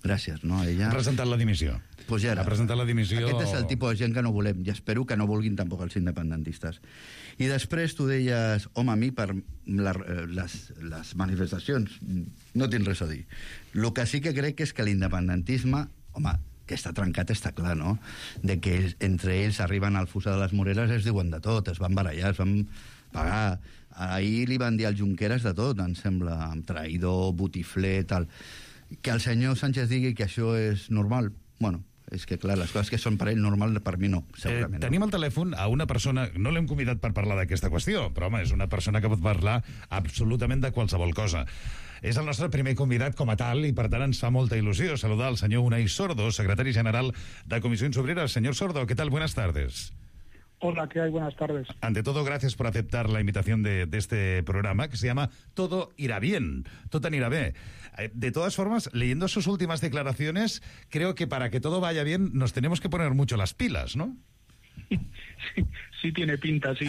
Gràcies, no? Ella... Ha presentat la dimissió. Pues ja ha presentat la dimissió... Aquest és el tipus de gent que no volem, i espero que no vulguin tampoc els independentistes. I després tu deies, home, a mi per les manifestacions no tinc res a dir. El que sí que crec és que l'independentisme, home, que està trencat està clar, no? De que entre ells arriben al Fossar de les Moreres, es diuen de tot, es van barallar, es van pagar. Ahir li van dir al Junqueras de tot, em sembla, traïdor, botifler, tal. Que el senyor Sánchez digui que això és normal, bueno, és que clar, les coses que són per ell normal, per mi no, segurament. Tenim al telèfon a una persona, no l'hem convidat per parlar d'aquesta qüestió, però home, és una persona que pot parlar absolutament de qualsevol cosa. És el nostre primer convidat com a tal i, per tant, ens fa molta il·lusió saludar al senyor Unai Sordo, secretari general de Comissions Obreras. Señor Sordo, ¿qué tal? Buenas tardes. Hola, ¿qué hay? Buenas tardes. Ante todo, gracias por aceptar la invitación de este programa que se llama Todo irá bien, tot anirà bé. De todas formas, leyendo sus últimas declaraciones, creo que para que todo vaya bien nos tenemos que poner mucho las pilas, ¿no? Sí tiene pinta, sí,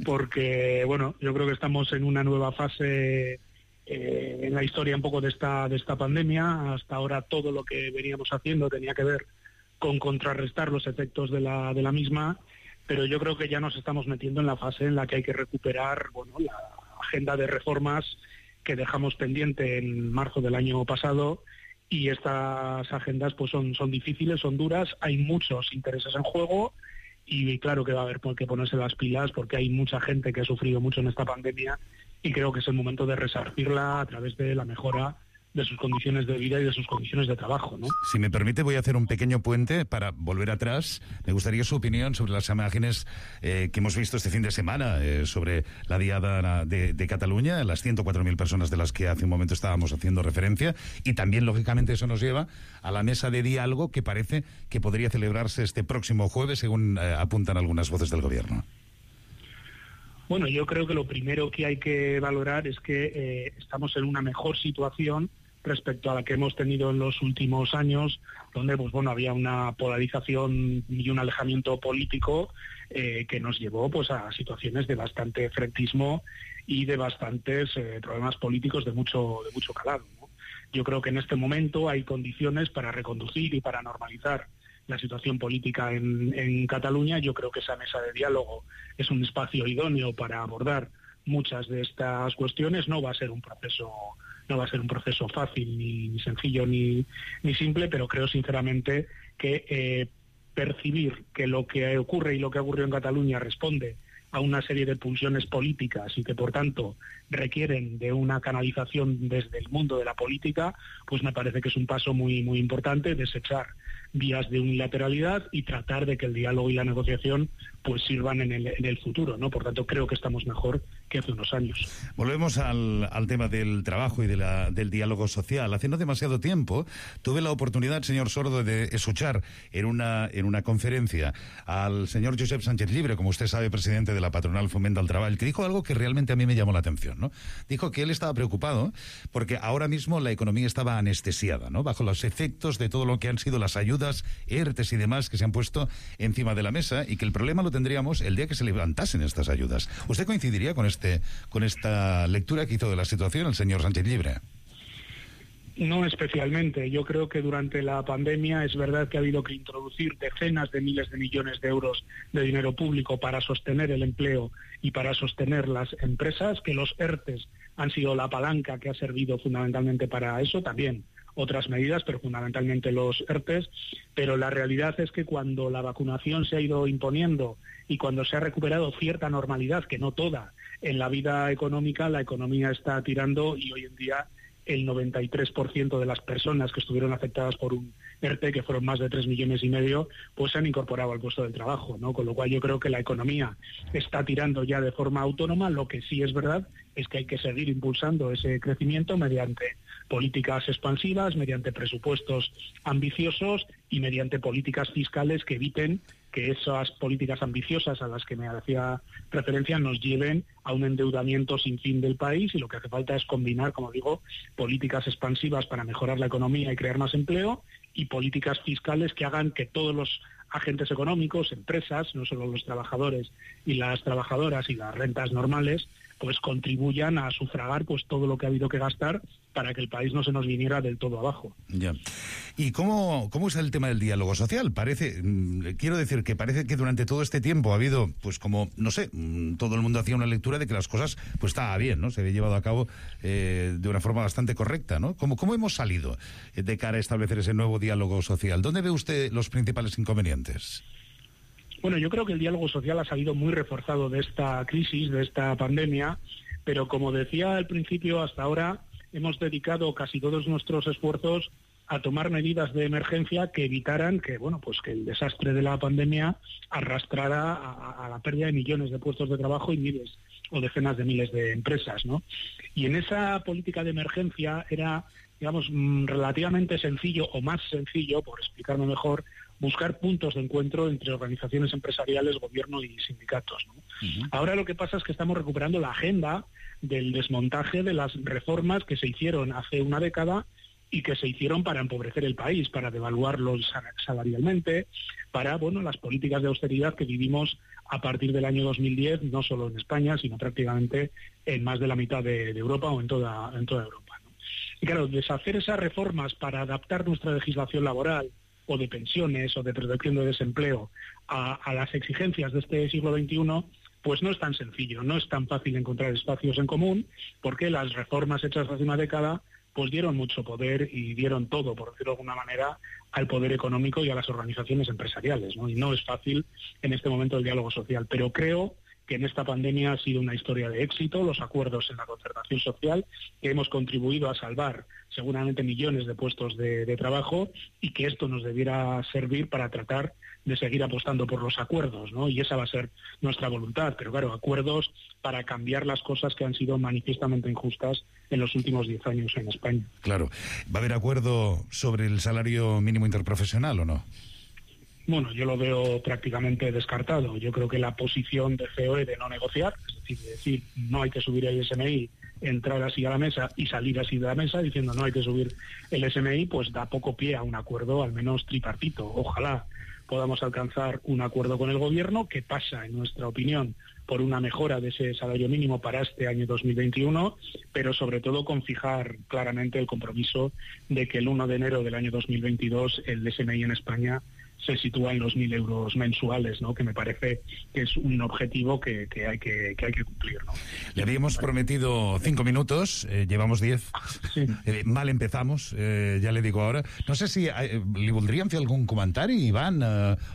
porque, bueno, yo creo que estamos en una nueva fase en la historia un poco de esta pandemia. Hasta ahora todo lo que veníamos haciendo tenía que ver con contrarrestar los efectos de la misma, pero yo creo que ya nos estamos metiendo en la fase en la que hay que recuperar, bueno, la agenda de reformas que dejamos pendiente en marzo del año pasado, y estas agendas pues son difíciles, son duras, hay muchos intereses en juego, y claro que va a haber que ponerse las pilas porque hay mucha gente que ha sufrido mucho en esta pandemia, y creo que es el momento de resarcirla a través de la mejora de sus condiciones de vida y de sus condiciones de trabajo, ¿no? Si me permite, voy a hacer un pequeño puente para volver atrás. Me gustaría su opinión sobre las imágenes que hemos visto este fin de semana sobre la Diada de Cataluña, las 104.000 personas de las que hace un momento estábamos haciendo referencia, y también, lógicamente, eso nos lleva a la mesa de diálogo que parece que podría celebrarse este próximo jueves, según apuntan algunas voces del Gobierno. Bueno, yo creo que lo primero que hay que valorar es que estamos en una mejor situación respecto a la que hemos tenido en los últimos años, donde pues bueno, había una polarización y un alejamiento político que nos llevó pues a situaciones de bastante frentismo y de bastantes problemas políticos de mucho calado, ¿no? Yo creo que en este momento hay condiciones para reconducir y para normalizar la situación política en Cataluña. Yo creo que esa mesa de diálogo es un espacio idóneo para abordar muchas de estas cuestiones. No va a ser un proceso fácil, ni sencillo, ni simple, pero creo sinceramente que percibir que lo que ocurre y lo que ha ocurrido en Cataluña responde a una serie de pulsiones políticas y que por tanto requieren de una canalización desde el mundo de la política, pues me parece que es un paso muy muy importante, desechar vías de unilateralidad y tratar de que el diálogo y la negociación pues sirvan en el futuro, ¿no? Por tanto, creo que estamos mejor que hace unos años. Volvemos al tema del trabajo y del diálogo social. Hace no demasiado tiempo tuve la oportunidad, señor Sordo, de escuchar en una conferencia al señor Josep Sánchez Llibre, como usted sabe, presidente de la patronal Foment del Treball, que dijo algo que realmente a mí me llamó la atención, ¿no? Dijo que él estaba preocupado porque ahora mismo la economía estaba anestesiada, ¿no? Bajo los efectos de todo lo que han sido las ayudas, ERTES y demás que se han puesto encima de la mesa, y que el problema lo tendríamos el día que se levantasen estas ayudas. ¿Usted coincidiría con esta lectura que hizo de la situación el señor Sánchez Llibre? No especialmente. Yo creo que durante la pandemia es verdad que ha habido que introducir decenas de miles de millones de euros de dinero público para sostener el empleo y para sostener las empresas, que los ERTES han sido la palanca que ha servido fundamentalmente para eso, también otras medidas, pero fundamentalmente los ERTES. Pero la realidad es que cuando la vacunación se ha ido imponiendo y cuando se ha recuperado cierta normalidad, que no toda, en la vida económica, la economía está tirando, y hoy en día el 93% de las personas que estuvieron afectadas por un ERTE, que fueron más de 3,5 millones, pues se han incorporado al puesto de trabajo, ¿no? Con lo cual yo creo que la economía está tirando ya de forma autónoma. Lo que sí es verdad es que hay que seguir impulsando ese crecimiento mediante políticas expansivas, mediante presupuestos ambiciosos y mediante políticas fiscales que eviten que esas políticas ambiciosas a las que me hacía referencia nos lleven a un endeudamiento sin fin del país, y lo que hace falta es combinar, como digo, políticas expansivas para mejorar la economía y crear más empleo, y políticas fiscales que hagan que todos los agentes económicos, empresas, no solo los trabajadores y las trabajadoras y las rentas normales, pues contribuyan a sufragar pues todo lo que ha habido que gastar para que el país no se nos viniera del todo abajo. Ya. ¿Y cómo es el tema del diálogo social? Quiero decir que parece que durante todo este tiempo ha habido, pues como, no sé, todo el mundo hacía una lectura de que las cosas pues estaba bien, ¿no? Se había llevado a cabo de una forma bastante correcta, ¿no? ¿Cómo hemos salido de cara a establecer ese nuevo diálogo social? ¿Dónde ve usted los principales inconvenientes? Bueno, yo creo que el diálogo social ha salido muy reforzado de esta crisis, de esta pandemia, pero como decía al principio, hasta ahora hemos dedicado casi todos nuestros esfuerzos a tomar medidas de emergencia que evitaran que, bueno, pues que el desastre de la pandemia arrastrara a la pérdida de millones de puestos de trabajo y miles o decenas de miles de empresas, ¿no? Y en esa política de emergencia era digamos, relativamente sencillo o más sencillo, por explicarme mejor, buscar puntos de encuentro entre organizaciones empresariales, gobierno y sindicatos, ¿no? Ahora lo que pasa es que estamos recuperando la agenda del desmontaje de las reformas que se hicieron hace una década y que se hicieron para empobrecer el país, para devaluarlo salarialmente, para las políticas de austeridad que vivimos a partir del año 2010, no solo en España, sino prácticamente en más de la mitad de Europa o en toda Europa, ¿no? Y claro, deshacer esas reformas para adaptar nuestra legislación laboral o de pensiones o de protección de desempleo a las exigencias de este siglo XXI, pues no es tan sencillo, no es tan fácil encontrar espacios en común, porque las reformas hechas hace una década pues dieron mucho poder y dieron todo, por decirlo de alguna manera, al poder económico y a las organizaciones empresariales, ¿no? Y no es fácil en este momento el diálogo social, pero creo que en esta pandemia ha sido una historia de éxito, los acuerdos en la concertación social, que hemos contribuido a salvar seguramente millones de puestos de trabajo, y que esto nos debiera servir para tratar de seguir apostando por los acuerdos, ¿no? Y esa va a ser nuestra voluntad, pero claro, acuerdos para cambiar las cosas que han sido manifiestamente injustas en los últimos 10 años en España. Claro. ¿Va a haber acuerdo sobre el salario mínimo interprofesional o no? Bueno, yo lo veo prácticamente descartado. Yo creo que la posición de COE de no negociar, es decir, no hay que subir el SMI, entrar así a la mesa y salir así de la mesa diciendo no hay que subir el SMI, pues da poco pie a un acuerdo, al menos tripartito. Ojalá podamos alcanzar un acuerdo con el Gobierno que pasa, en nuestra opinión, por una mejora de ese salario mínimo para este año 2021, pero sobre todo con fijar claramente el compromiso de que el 1 de enero del año 2022 el SMI en España se sitúa en los 1.000 euros mensuales, ¿no? Que me parece que es un objetivo que hay que cumplir, ¿no? Le habíamos prometido 5 minutos, llevamos 10. Sí. Mal empezamos, ja le digo ahora. No sé si li voldríem fer algun comentari, Ivan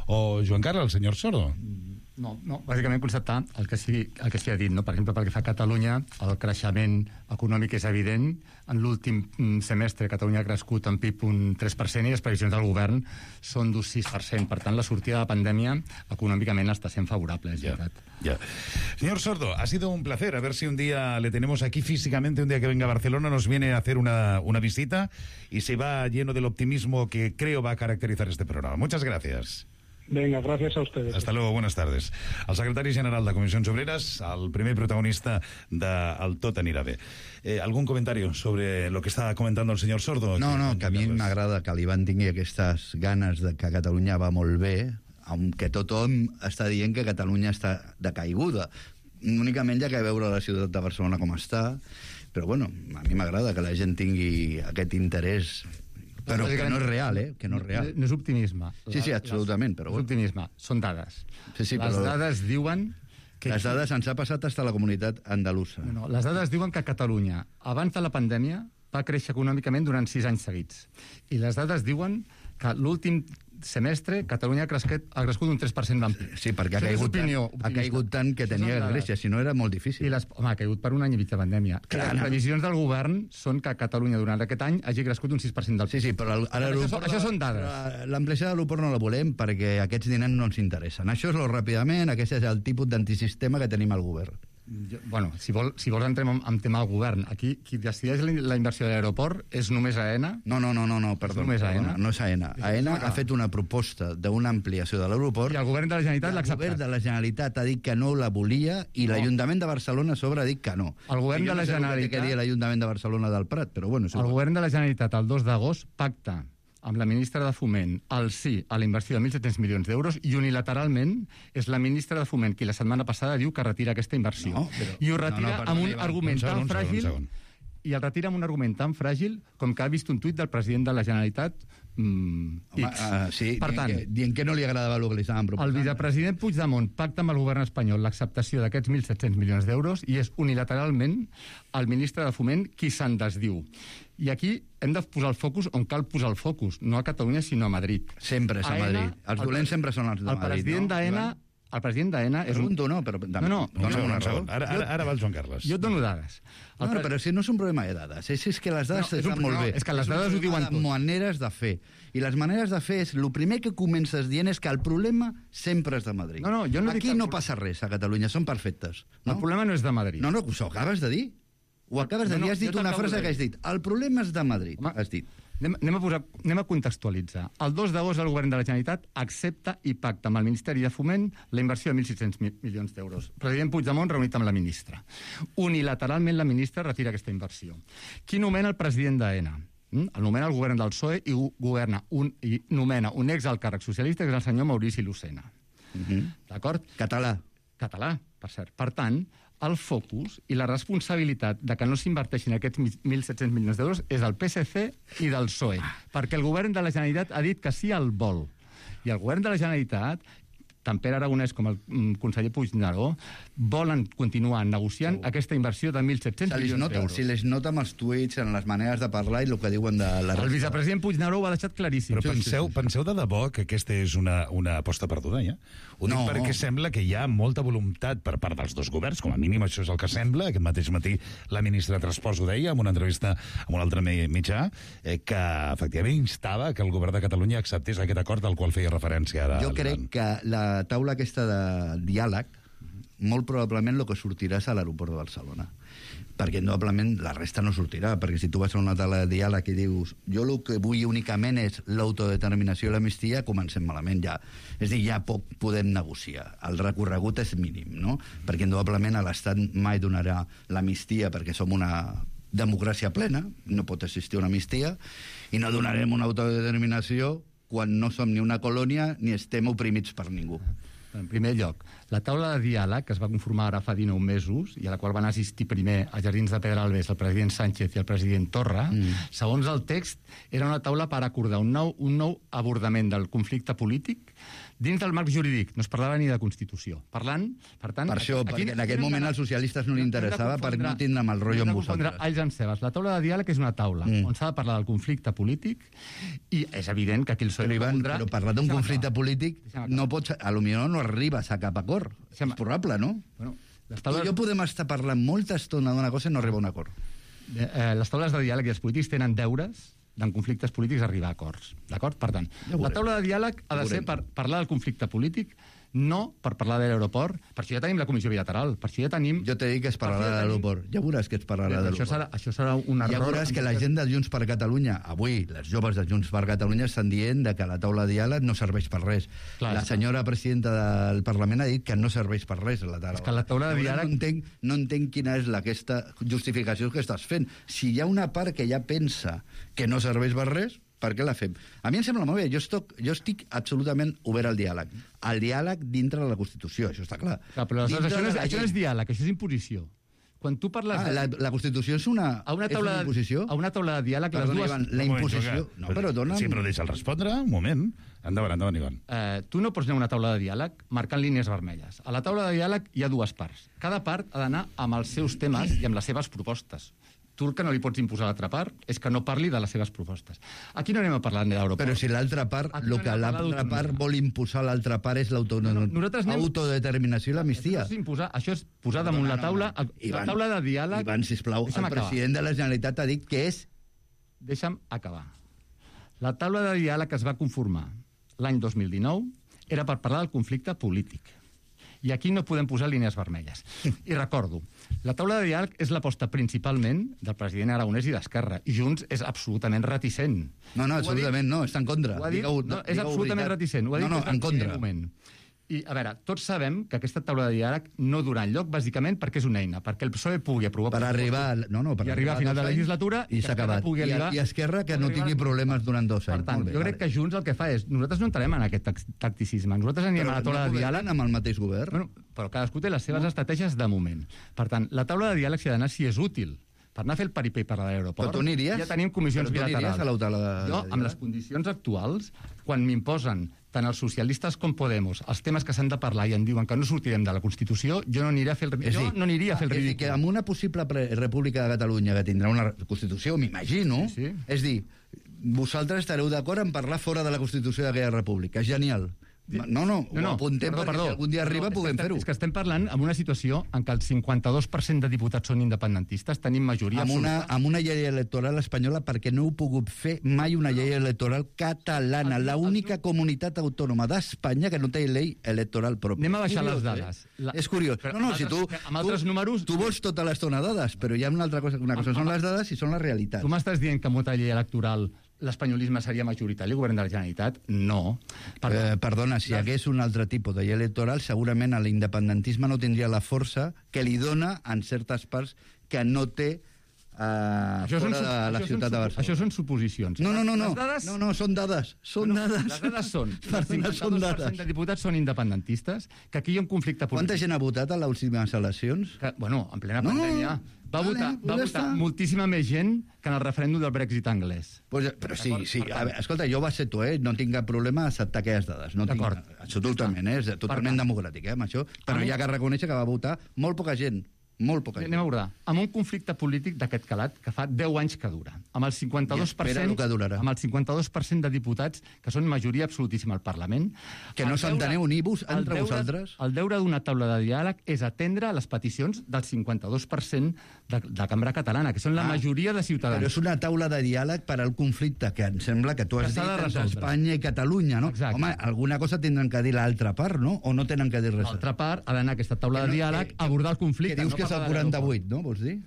o Joan Carles, al senyor Sordo. No, bàsicament constatar el que s'hi ha dit, no? Per exemple, pel que fa a Catalunya, el creixement econòmic és evident. En l'últim semestre Catalunya ha crescut en PIB un 3% i les previsions del govern són d'un 6%. Per tant, la sortida de la pandèmia econòmicament està sent favorable, és veritat. Ya. Señor Sordo, ha sido un placer. A ver si un día le tenemos aquí físicamente, un día que venga a Barcelona, nos viene a hacer una visita y se va lleno del optimismo que creo va a caracterizar este programa. Muchas gracias. Venga, gracias a ustedes. Hasta luego, buenas tardes. El secretari general de Comissions Obreres, el primer protagonista del Tot anirà bé. ¿Algún comentario sobre lo que está comentando el señor Sordo? No, que a mi m'agrada que l'Ivan tingui aquestes ganes de que Catalunya va molt bé, aunque tothom està dient que Catalunya està decaiguda. Únicament hi ha que veure la ciutat de Barcelona com està, però bueno, a mi m'agrada que la gent tingui aquest interès, però que no és real, que no és real. No és optimisme. Sí, absolutament, però... És optimisme, són dades. Sí, les dades diuen... Les dades ens ha passat fins a la comunitat andalusa. No, les dades diuen que Catalunya, abans de la pandèmia, va créixer econòmicament durant 6 anys seguits. I les dades diuen que l'últim semestre Catalunya ha crescut un 3% d'en PIB. Sí, perquè ha caigut tant que tenia Grècia, si no era molt difícil. Home, ha caigut per un any i mig de pandèmia. Les previsions del govern són que Catalunya durant aquest any hagi crescut un 6% del PIB. Sí, però això són dades. L'ampliació de l'aeroport no la volem perquè aquests diners no ens interessen. Això és ràpidament, aquest és el tipus d'antisistema que tenim al govern. Bueno, si vols entrem en tema del govern. Aquí, qui decideix la inversió de l'aeroport és només AENA? No, perdó. No és AENA. AENA ha fet una proposta d'una ampliació de l'aeroport. I el govern de la Generalitat l'ha acceptat. El govern de la Generalitat ha dit que no la volia i l'Ajuntament de Barcelona a sobre ha dit que no. El govern de la Generalitat... que dir l'Ajuntament de Barcelona del Prat, però bueno... El govern de la Generalitat, el 2 d'agost, pacta amb la ministra de Foment el sí a la inversió de 1.700 milions d'euros i unilateralment és la ministra de Foment qui la setmana passada diu que retira aquesta inversió. I ho retira amb un argument tan fràgil i el retira amb un argument tan fràgil com que ha vist un tuit del president de la Generalitat sí, per tant, dient que no li agradava el que li estaven proposant. El vicepresident Puigdemont pacta amb el govern espanyol l'acceptació d'aquests 1.700 milions d'euros i és unilateralment el ministre de Foment qui se'n desdiu. I aquí hem de posar el focus on cal posar el focus, no a Catalunya sinó a Madrid. Sempre és a Madrid. Els dolents sempre són els de Madrid. El president d'AENA és un... No, però... No. Un segon. Ara va el Joan Carles. Jo et dono dades. Però si no és un problema de dades. És que les dades estan molt bé. És que les dades ho diuen tot. Maneres de fer. I les maneres de fer és... El primer que comences dient és que el problema sempre és de Madrid. Jo no Aquí no passa res a Catalunya, són perfectes. El problema no és de Madrid. No, ho acabes de dir. Ho acabes de dir, has dit una frase que has dit. El problema és de Madrid, has dit. Anem a contextualitzar. El 2 d'agost el govern de la Generalitat accepta i pacta amb el Ministeri de Foment la inversió de 1.600 milions d'euros. President Puigdemont reunit amb la ministra. Unilateralment la ministra retira aquesta inversió. Qui nomena el president d'AENA? El nomena el govern del PSOE i nomena un exalcàrrec socialista, que és el senyor Maurici Lucena. D'acord? Català. Català, per cert. Per tant, el focus i la responsabilitat de que no s'inverteixin aquests 1.700 milions d'euros és del PSC i del PSOE, perquè el govern de la Generalitat ha dit que sí al vol. I el govern de la Generalitat, tant Pere Aragonès com el conseller Puigneró, volen continuar negociant aquesta inversió de 1.700 milions d'euros. Si les nota amb els tuits, en les maneres de parlar i el que diuen de la... El vicepresident Puigneró ho ha deixat claríssim. Però penseu de debò que aquesta és una aposta perduda, ja? Ho dic perquè sembla que hi ha molta voluntat per part dels dos governs, com a mínim això és el que sembla. Aquest mateix matí la ministra de Transports ho deia en una entrevista amb un altre mitjà, que efectivament instava que el govern de Catalunya acceptés aquest acord al qual feia referència ara. Jo crec que la taula aquesta de diàleg, molt probablement el que sortirà és a l'aeroport de Barcelona. Perquè probablement la resta no sortirà, perquè si tu vas a una taula de diàleg i dius jo el que vull únicament és l'autodeterminació i l'amnistia, comencem malament ja. És a dir, ja poc podem negociar. El recorregut és mínim, no? Perquè probablement l'Estat mai donarà l'amnistia perquè som una democràcia plena, no pot existir una amnistia, i no donarem una autodeterminació quan no som ni una colònia ni estem oprimits per ningú. En primer lloc, la taula de diàleg que es va conformar ara fa 19 mesos i a la qual van assistir primer a Jardins de Pedralbes el president Sánchez i el president Torra, segons el text, era una taula per acordar un nou abordament del conflicte polític dins del marc jurídic. No es parlava ni de Constitució. Per tant... Per això, perquè en aquest moment als socialistes no li interessava perquè no tindrem el rotllo amb vosaltres. Alls en cebes. La taula de diàleg és una taula on s'ha de parlar del conflicte polític i és evident que aquí el PSOE... Però parlar d'un conflicte polític no pots... Potser no arribes a cap acord. És probable, no? Tu i jo podem estar parlant molta estona d'una cosa i no arribar a un acord. Les taules de diàleg i els polítics tenen deures en conflictes polítics arribar a acords. D'acord? Per tant, la taula de diàleg ha de ser per parlar del conflicte polític, no per parlar de l'aeroport. Per això ja tenim la comissió bilateral. Per això ja tenim... Jo t'he dit que es parlarà de l'aeroport. Ja veuràs que es parlarà de l'aeroport. Això serà un error. Ja veuràs que la gent de Junts per Catalunya, avui, les joves de Junts per Catalunya estan dient que la taula de diàleg no serveix per res. La senyora presidenta del Parlament ha dit que no serveix per res la taula. És que la taula de diàleg... No entenc quina és aquesta justificació que estàs fent. Si hi ha una part que ja pensa que no serveix per res, per què la fem? A mi em sembla molt bé. Jo estic absolutament obert al diàleg. El diàleg dintre de la Constitució, això està clar. Però això no és diàleg, això és imposició. Quan tu parles... La Constitució és una imposició? A una taula de diàleg... La imposició... No, però dona... Sí, però deixa'l respondre, un moment. Endavant, Ivan. Tu no pots anar a una taula de diàleg marcant línies vermelles. A la taula de diàleg hi ha dues parts. Cada part ha d'anar amb els seus temes i amb les seves propostes. Tu el que no li pots imposar a l'altra part és que no parli de les seves propostes. Aquí no anem a parlar de l'aeroport. Però si l'altra part, el que l'altra part vol imposar a l'altra part és l'autodeterminació i l'amnistia. Això és posar damunt la taula de diàleg... Ivan, sisplau, el president de la Generalitat ha dit que és... Deixa'm acabar. La taula de diàleg que es va conformar l'any 2019 era per parlar del conflicte polític. I aquí no podem posar línies vermelles. I recordo, la taula de diàleg és l'aposta principalment del president Aragonès i d'Esquerra. I Junts és absolutament reticent. No, absolutament no, està en contra. És absolutament reticent. Ho ha dit en contra. I, a veure, tots sabem que aquesta taula de diàleg no durà enlloc, bàsicament perquè és una eina, perquè el PSOE pugui aprovar... Per arribar a final de la legislatura... I s'ha acabat. I Esquerra que no tingui problemes durant 2 anys. Per tant, jo crec que Junts el que fa és... Nosaltres no entrarem en aquest tacticisme. Nosaltres anirem a la taula de diàleg... amb el mateix govern. Però cadascú té les seves estratègies de moment. Per tant, la taula de diàleg s'ha d'anar si és útil. Per anar a fer el peripé per l'aeroport... Però tu aniries? Ja tenim comissions bilaterals. A la taula de jo, amb les condicions actuals, quan m'imposen tant els socialistes com Podemos els temes que s'han de parlar i em diuen que no sortirem de la Constitució, jo no aniria a fer el ridícul. És dir, que amb una possible república de Catalunya que tindrà una Constitució, m'imagino, és dir, vosaltres estareu d'acord en parlar fora de la Constitució d'aquella república. És genial. No, ho apuntem perquè si algun dia arriba puguem fer-ho. És que estem parlant en una situació en què el 52% de diputats són independentistes, tenim majoria absoluta. Amb una llei electoral espanyola, perquè no heu pogut fer mai una llei electoral catalana, l'única comunitat autònoma d'Espanya que no té llei electoral pròpia. Anem a baixar les dades. És curiós. No, si tu vols tota l'estona dades, però hi ha una altra cosa. Una cosa són les dades i són la realitat. Tu m'estàs dient que amb una llei electoral l'espanyolisme seria majoritari al govern de la Generalitat? No. Perdona, si hi hagués un altre tipus de llei electoral, segurament l'independentisme no tindria la força que li dona en certes parts que no té fora de la ciutat de Barcelona. Això són suposicions. No, són dades. Són dades. Les dades són que el 52% de diputats són independentistes, que aquí hi ha un conflicte polític. Quanta gent ha votat a les últimes eleccions? Bueno, en plena pandèmia. Va votar moltíssima més gent que en el referèndum del Brexit anglès. Però sí. Escolta, jo ho accepto, no tinc cap problema a acceptar aquelles dades. Absolutament, és totalment democràtic, amb això. Però hi ha que reconèixer que va votar molt poca gent. Molt poca gent. Anem a veure, amb un conflicte polític d'aquest calat que fa 10 anys que dura, amb el 52% de diputats que són majoria absolutíssima al Parlament. Que no s'enteneu ni vos entre vosaltres. El deure d'una taula de diàleg és atendre les peticions del 52% de la cambra catalana, que són la majoria de ciutadans. Però és una taula de diàleg per al conflicte, que em sembla que tu has dit entre Espanya i Catalunya, no? Exacte. Home, alguna cosa tindran que dir l'altra part, no? O no tenen que dir res? L'altra part ha d'anar a aquesta taula de diàleg a abordar el conflicte. Que dius que és el 48, no? Vols dir?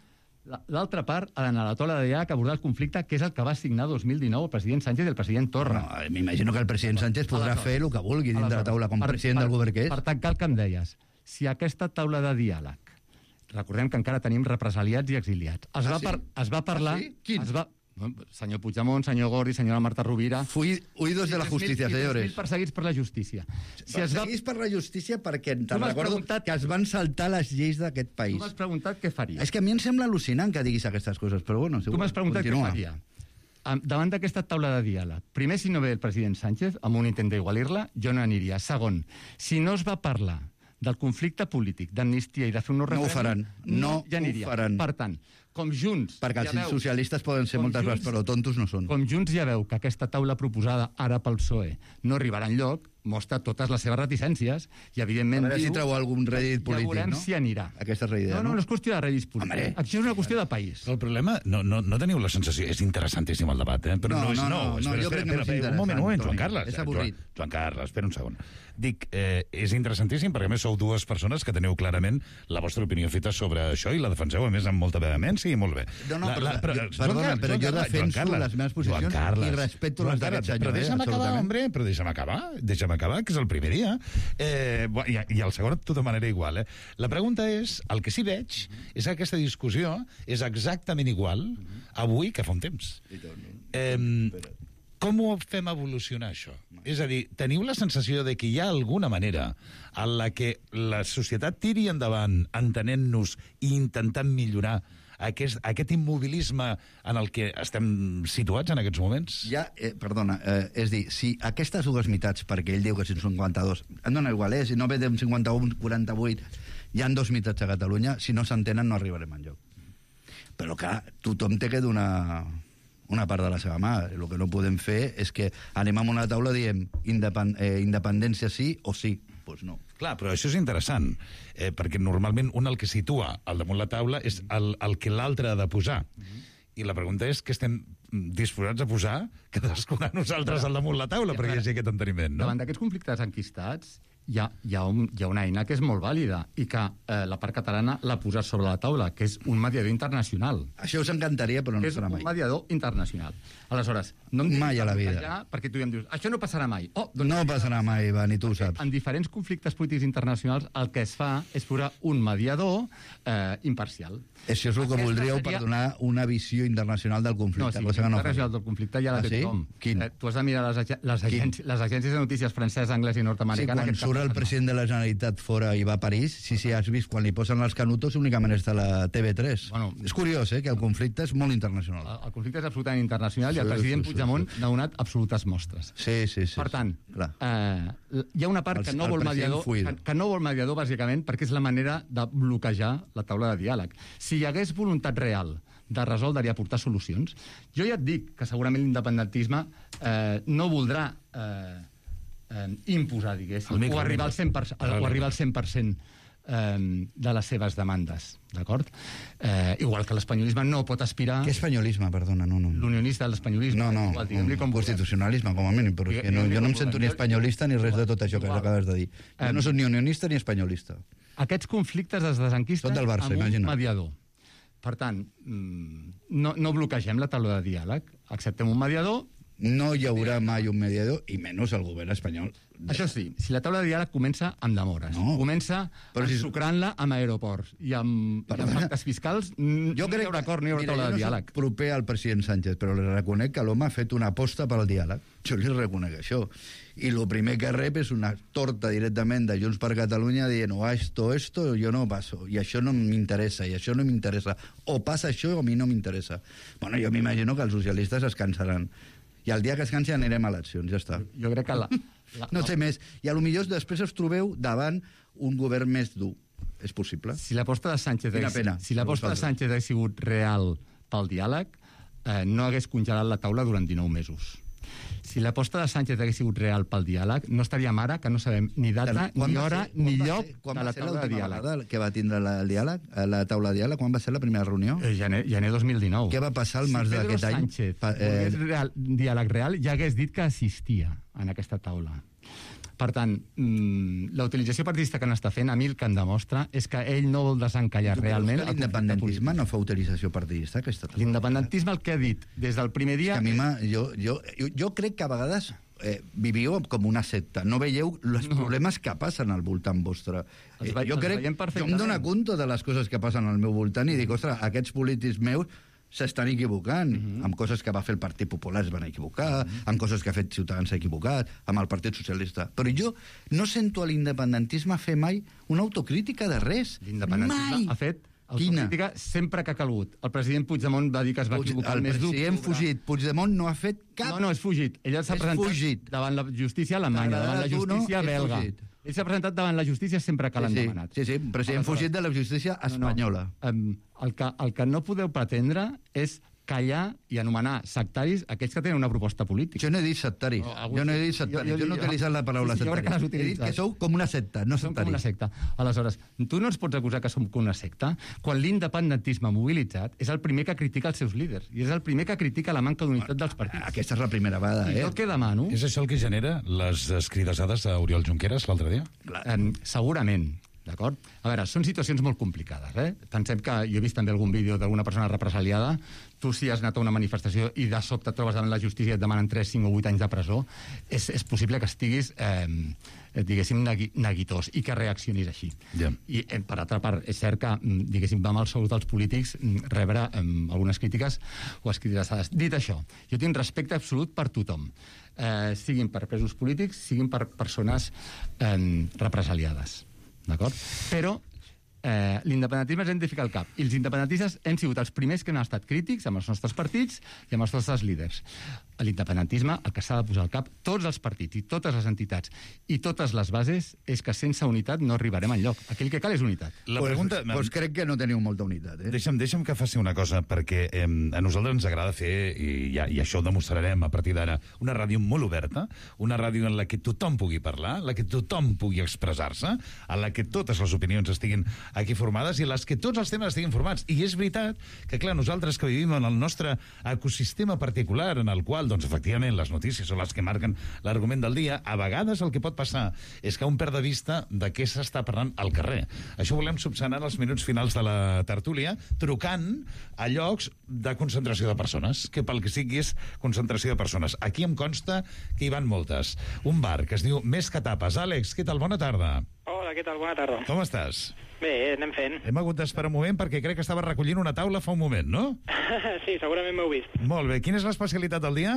L'altra part ha d'anar a la taula de diàleg a abordar el conflicte, que és el que va signar 2019 el president Sánchez i el president Torra. M'imagino que el president Sánchez podrà fer el que vulgui dins de la taula com president del govern que és. Per tancar el que em deies, si aquesta taula de diàleg, recordem que encara tenim represaliats i exiliats, es va parlar... Quins? Senyor Puigdemont, senyor Gordi, senyora Marta Rovira... Huidos de la justícia, senyores. 3.000 perseguits per la justícia. Perseguits per la justícia perquè te'n recordo que es van saltar les lleis d'aquest país. Tu m'has preguntat què faria. És que a mi em sembla al·lucinant que diguis aquestes coses, però bueno... Tu m'has preguntat què faria. Davant d'aquesta taula de diàleg, primer, si no ve el president Sánchez, amb un intent d'igualir-la, jo no aniria. Segon, si no es va parlar del conflicte polític, d'amnistia i de fer un referèndum... No ho faran. Per tant, com Junts... Perquè els socialistes poden ser moltes vegades, però tontos no són. Com Junts ja veu que aquesta taula proposada ara pel PSOE no arribarà enlloc, mostra totes les seves reticències i, evidentment, a veure si treu algun rèdit polític, ja veurem si anirà. Aquesta és la idea, no? No és qüestió de rèdits polítics. Això és una qüestió de país. El problema, no teniu la sensació... És interessantíssim el debat, però no és nou. Jo crec que no és interessant. Un moment, Joan Carles. És avorrit. Joan Carles, espera un segon. Dic, és interessantíssim perquè, a més, sou dues persones que teniu clarament la vostra opinió feta sobre això i la defenseu, a més, amb molta vehemència i molt bé. Perdona, però jo defenso les meves posicions i respecto les d'aquest senyor. Però deixa'm acabar, home, deixa'm acabar, que és el primer dia. I el segon, de tota manera, igual. La pregunta és, el que sí veig és que aquesta discussió és exactament igual avui que fa un temps. Com ho fem evolucionar, això? És a dir, teniu la sensació de que hi ha alguna manera en la que la societat tiri endavant entenent-nos i intentant millorar aquest immobilisme en el que estem situats en aquests moments? Perdona, és dir, si aquestes dues meitats, perquè ell diu que són 52, em dona igual, si no ve d'un 51, 48, hi ha dos meitats a Catalunya, si no s'entenen no arribarem enlloc. Però clar, tothom té que donar una part de la seva mà. El que no podem fer és que anem a una taula i diem independència sí o sí. Doncs no. Clar, però això és interessant, perquè normalment un el que situa al damunt la taula és el que l'altre ha de posar. I la pregunta és que estem disposats a posar cadascuna de nosaltres al damunt la taula perquè hi hagi aquest enteniment, no? Davant d'aquests conflictes enquistats hi ha una eina que és molt vàlida i que la part catalana l'ha posat sobre la taula, que és un mediador internacional. Això us encantaria, però no serà mai. És un mediador internacional. Aleshores, no em mai a la vida. Perquè tu ja em dius, això no passarà mai. No passarà mai, Ivan, i tu ho saps. En diferents conflictes polítics internacionals el que es fa és posar un mediador imparcial. Això és el que voldríeu per donar una visió internacional del conflicte. No, internacional del conflicte ja la té tothom. Quin? Tu has de mirar les agències de notícies francesa, anglès i nord-americana. Sí, quan surt el president de la Generalitat fora i va a París, sí, has vist, quan li posen els canutos únicament està la TV3. És curiós, que el conflicte és molt internacional. El conflicte és absolutament internacional i el president Puigdemont n'ha donat absolutes mostres. Sí. Per tant, hi ha una part que no vol mediador, bàsicament, perquè és la manera de bloquejar la taula de diàleg. Si hi hagués voluntat real de resoldre i aportar solucions, jo ja et dic que segurament l'independentisme no voldrà imposar, diguéssim, o arribar al 100%, de les seves demandes, d'acord? Igual que l'espanyolisme no pot aspirar... Què espanyolisme, perdona? No. L'unionista de l'espanyolisme. No, constitucionalisme, com a mínim, però jo no em sento ni espanyolista ni res de tot això que acabes de dir. Jo no soc ni unionista ni espanyolista. Aquests conflictes es desenquisten amb un mediador. Per tant, no bloquegem la taula de diàleg, acceptem un mediador. No hi haurà mai un mediador, i menys el govern espanyol. Això sí, si la taula de diàleg comença amb demores, comença ensucrant-la amb aeroports i amb pactes fiscals, no hi haurà acord, no hi haurà taula de diàleg. Jo no soc proper al president Sánchez, però li reconec que l'home ha fet una aposta pel diàleg. Jo li reconec això. I el primer que rep és una torta directament de Junts per Catalunya dient esto, yo no paso, i això no m'interessa, i això no m'interessa. O passa això o a mi no m'interessa. Bueno, jo m'imagino que els socialistes es cansaran. I el dia que es cansi anirem a eleccions, ja està. Jo crec que no sé més. I potser després us trobeu davant un govern més dur. És possible. Si l'aposta de Sánchez hagués sigut real pel diàleg, no hagués congelat la taula durant 19 mesos. Si l'aposta de Sánchez hagués sigut real pel diàleg, no estaríem ara, que no sabem ni data, ni hora, ni lloc de la taula de diàleg. Quan va ser que va tindre el diàleg, la taula de diàleg? Quan va ser la primera reunió? Gener 2019. Què va passar al març d'aquest any? Si Pedro Sánchez volgués diàleg real, ja hagués dit que assistia en aquesta taula. Per tant, la utilització partidista que n'està fent, a mi el que em demostra és que ell no vol desencallar realment... L'independentisme no fa utilització partidista, aquesta taula. L'independentisme el que ha dit des del primer dia... Jo crec que a vegades viviu com una secta. No veieu els problemes que passen al voltant vostre. Jo em dono compte de les coses que passen al meu voltant i dic, ostres, aquests polítics meus s'estan equivocant, amb coses que va fer el Partit Popular es van equivocar, amb coses que ha fet Ciutadans s'ha equivocat, amb el Partit Socialista. Però jo no sento a l'independentisme fer mai una autocrítica de res. L'independentisme ha fet autocrítica sempre que ha calgut. El president Puigdemont va dir que es va equivocar el mes d'octubre. El president fugit. Puigdemont no ha fet cap... No, és fugit. Ell s'ha presentat davant la justícia alemanya, davant la justícia belga. Ell s'ha presentat davant la justícia sempre que l'han demanat. Sí, president fugit de la justícia espanyola. El que no podeu pretendre és callar i anomenar sectaris aquells que tenen una proposta política. Jo no he dit sectaris. Jo no he utilitzat la paraula sectaris. He dit que sou com una secta, no sectaris. Som com una secta. Aleshores, tu no ens pots acusar que som com una secta quan l'independentisme mobilitzat és el primer que critica els seus líders i és el primer que critica la manca d'unitat dels partits. Aquesta és la primera vegada, I el que demano... És això el que genera les escridassades a Oriol Junqueras l'altre dia? Segurament. D'acord? A veure, són situacions molt complicades, Pensem que jo he vist també algun vídeo d'alguna persona represaliada. Tu, si has anat a una manifestació i de sobte et trobes davant la justícia i et demanen 3, 5 o 8 anys de presó, és possible que estiguis, diguéssim, neguitós i que reaccionis així. I, per altra part, és cert que, diguéssim, va mal salut als polítics rebre algunes crítiques o escridassades. Dit això, jo tinc respecte absolut per tothom. Siguin per presos polítics, siguin per persones represaliades. D'acord? Però l'independentisme ens hem de ficar al cap. I els independentistes hem sigut els primers que han estat crítics amb els nostres partits i amb els nostres líders. L'independentisme, el que s'ha de posar al cap, tots els partits i totes les entitats i totes les bases, és que sense unitat no arribarem enlloc. Aquell que cal és unitat. La pregunta... Doncs crec que no teniu molta unitat. Deixa'm que faci una cosa, perquè a nosaltres ens agrada fer, i això ho demostrarem a partir d'ara, una ràdio molt oberta, una ràdio en la que tothom pugui parlar, en la que tothom pugui expressar-se, en la que totes les opinions estiguin aquí formades i en les que tots els temes estiguin formats. I és veritat que, clar, nosaltres que vivim en el nostre ecosistema particular, en el qual, doncs, efectivament, les notícies són les que marquen l'argument del dia, a vegades el que pot passar és que un perd de vista de què s'està parlant al carrer. Això volem subsanar els minuts finals de la tertúlia, trucant a llocs de concentració de persones, que pel que sigui és concentració de persones. Aquí em consta que hi van moltes. Un bar que es diu Més que Tapes. Àlex, què tal? Bona tarda. Hola, què tal? Bona tarda. Com estàs? Bé, anem fent. Hem hagut d'esperar un moment perquè crec que estava recollint una taula fa un moment, no? Sí, segurament m'heu vist. Molt bé. Quina és l'especialitat del dia?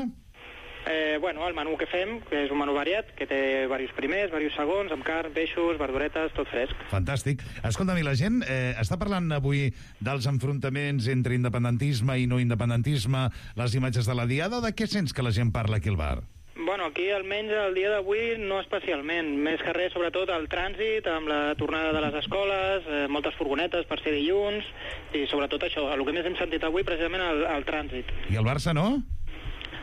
Bueno, el menú que fem, que és un menú variat, que té diversos primers, diversos segons, amb carn, peixos, verduretes, tot fresc. Fantàstic. Escolta'm, i la gent està parlant avui dels enfrontaments entre independentisme i no independentisme, les imatges de la diada, o de què sents que la gent parla aquí al bar? Bueno, aquí almenys el dia d'avui no especialment. Més que res, sobretot el trànsit, amb la tornada de les escoles, moltes furgonetes per ser dilluns, i sobretot això, el que més hem sentit avui, precisament el trànsit. I el Barça no?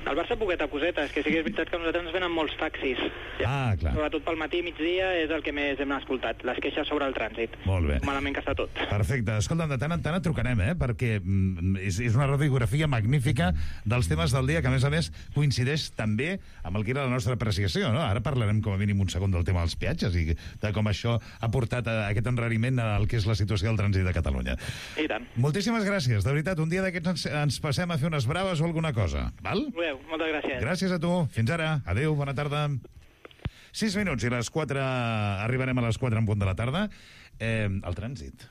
Al Barça poqueta coseta, és que sí que és veritat que a nosaltres ens venen molts taxis. Ah, clar. Sobretot pel matí i migdia és el que més hem escoltat, les queixes sobre el trànsit. Molt bé. Malament que està tot. Perfecte. Escolta'm, de tant en tant et trucarem, perquè és una radiografia magnífica dels temes del dia, que a més coincideix també amb el que era la nostra apreciació, no? Ara parlarem com a mínim un segon del tema dels peatges i de com això ha portat a aquest enrariment al que és la situació del trànsit de Catalunya. I tant. Moltíssimes gràcies, de veritat. Un dia d'aquests ens passem a fer unes braves o alguna cosa, val? Moltes gràcies. Gràcies a tu. Fins ara. Adéu, bona tarda. 6 minuts i les 4... Arribarem a les 4 en punt de la tarda. El trànsit.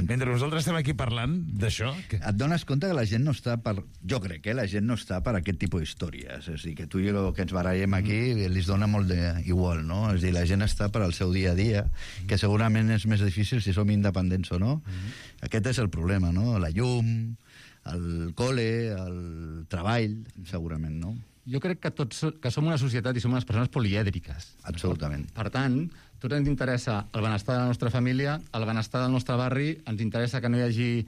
Mentre nosaltres estem aquí parlant d'això... Et dones compte que la gent no està per... Jo crec que la gent no està per aquest tipus d'històries. És a dir, que tu i jo que ens barallem aquí li dona molt igual, no? És a dir, la gent està per al seu dia a dia, que segurament és més difícil si som independents o no. Aquest és el problema, no? La llum, el col·le, el treball, segurament, no? Jo crec que tots que som una societat i som unes persones polièdriques. Absolutament. Per tant, a tots ens interessa el benestar de la nostra família, el benestar del nostre barri, ens interessa que no hi hagi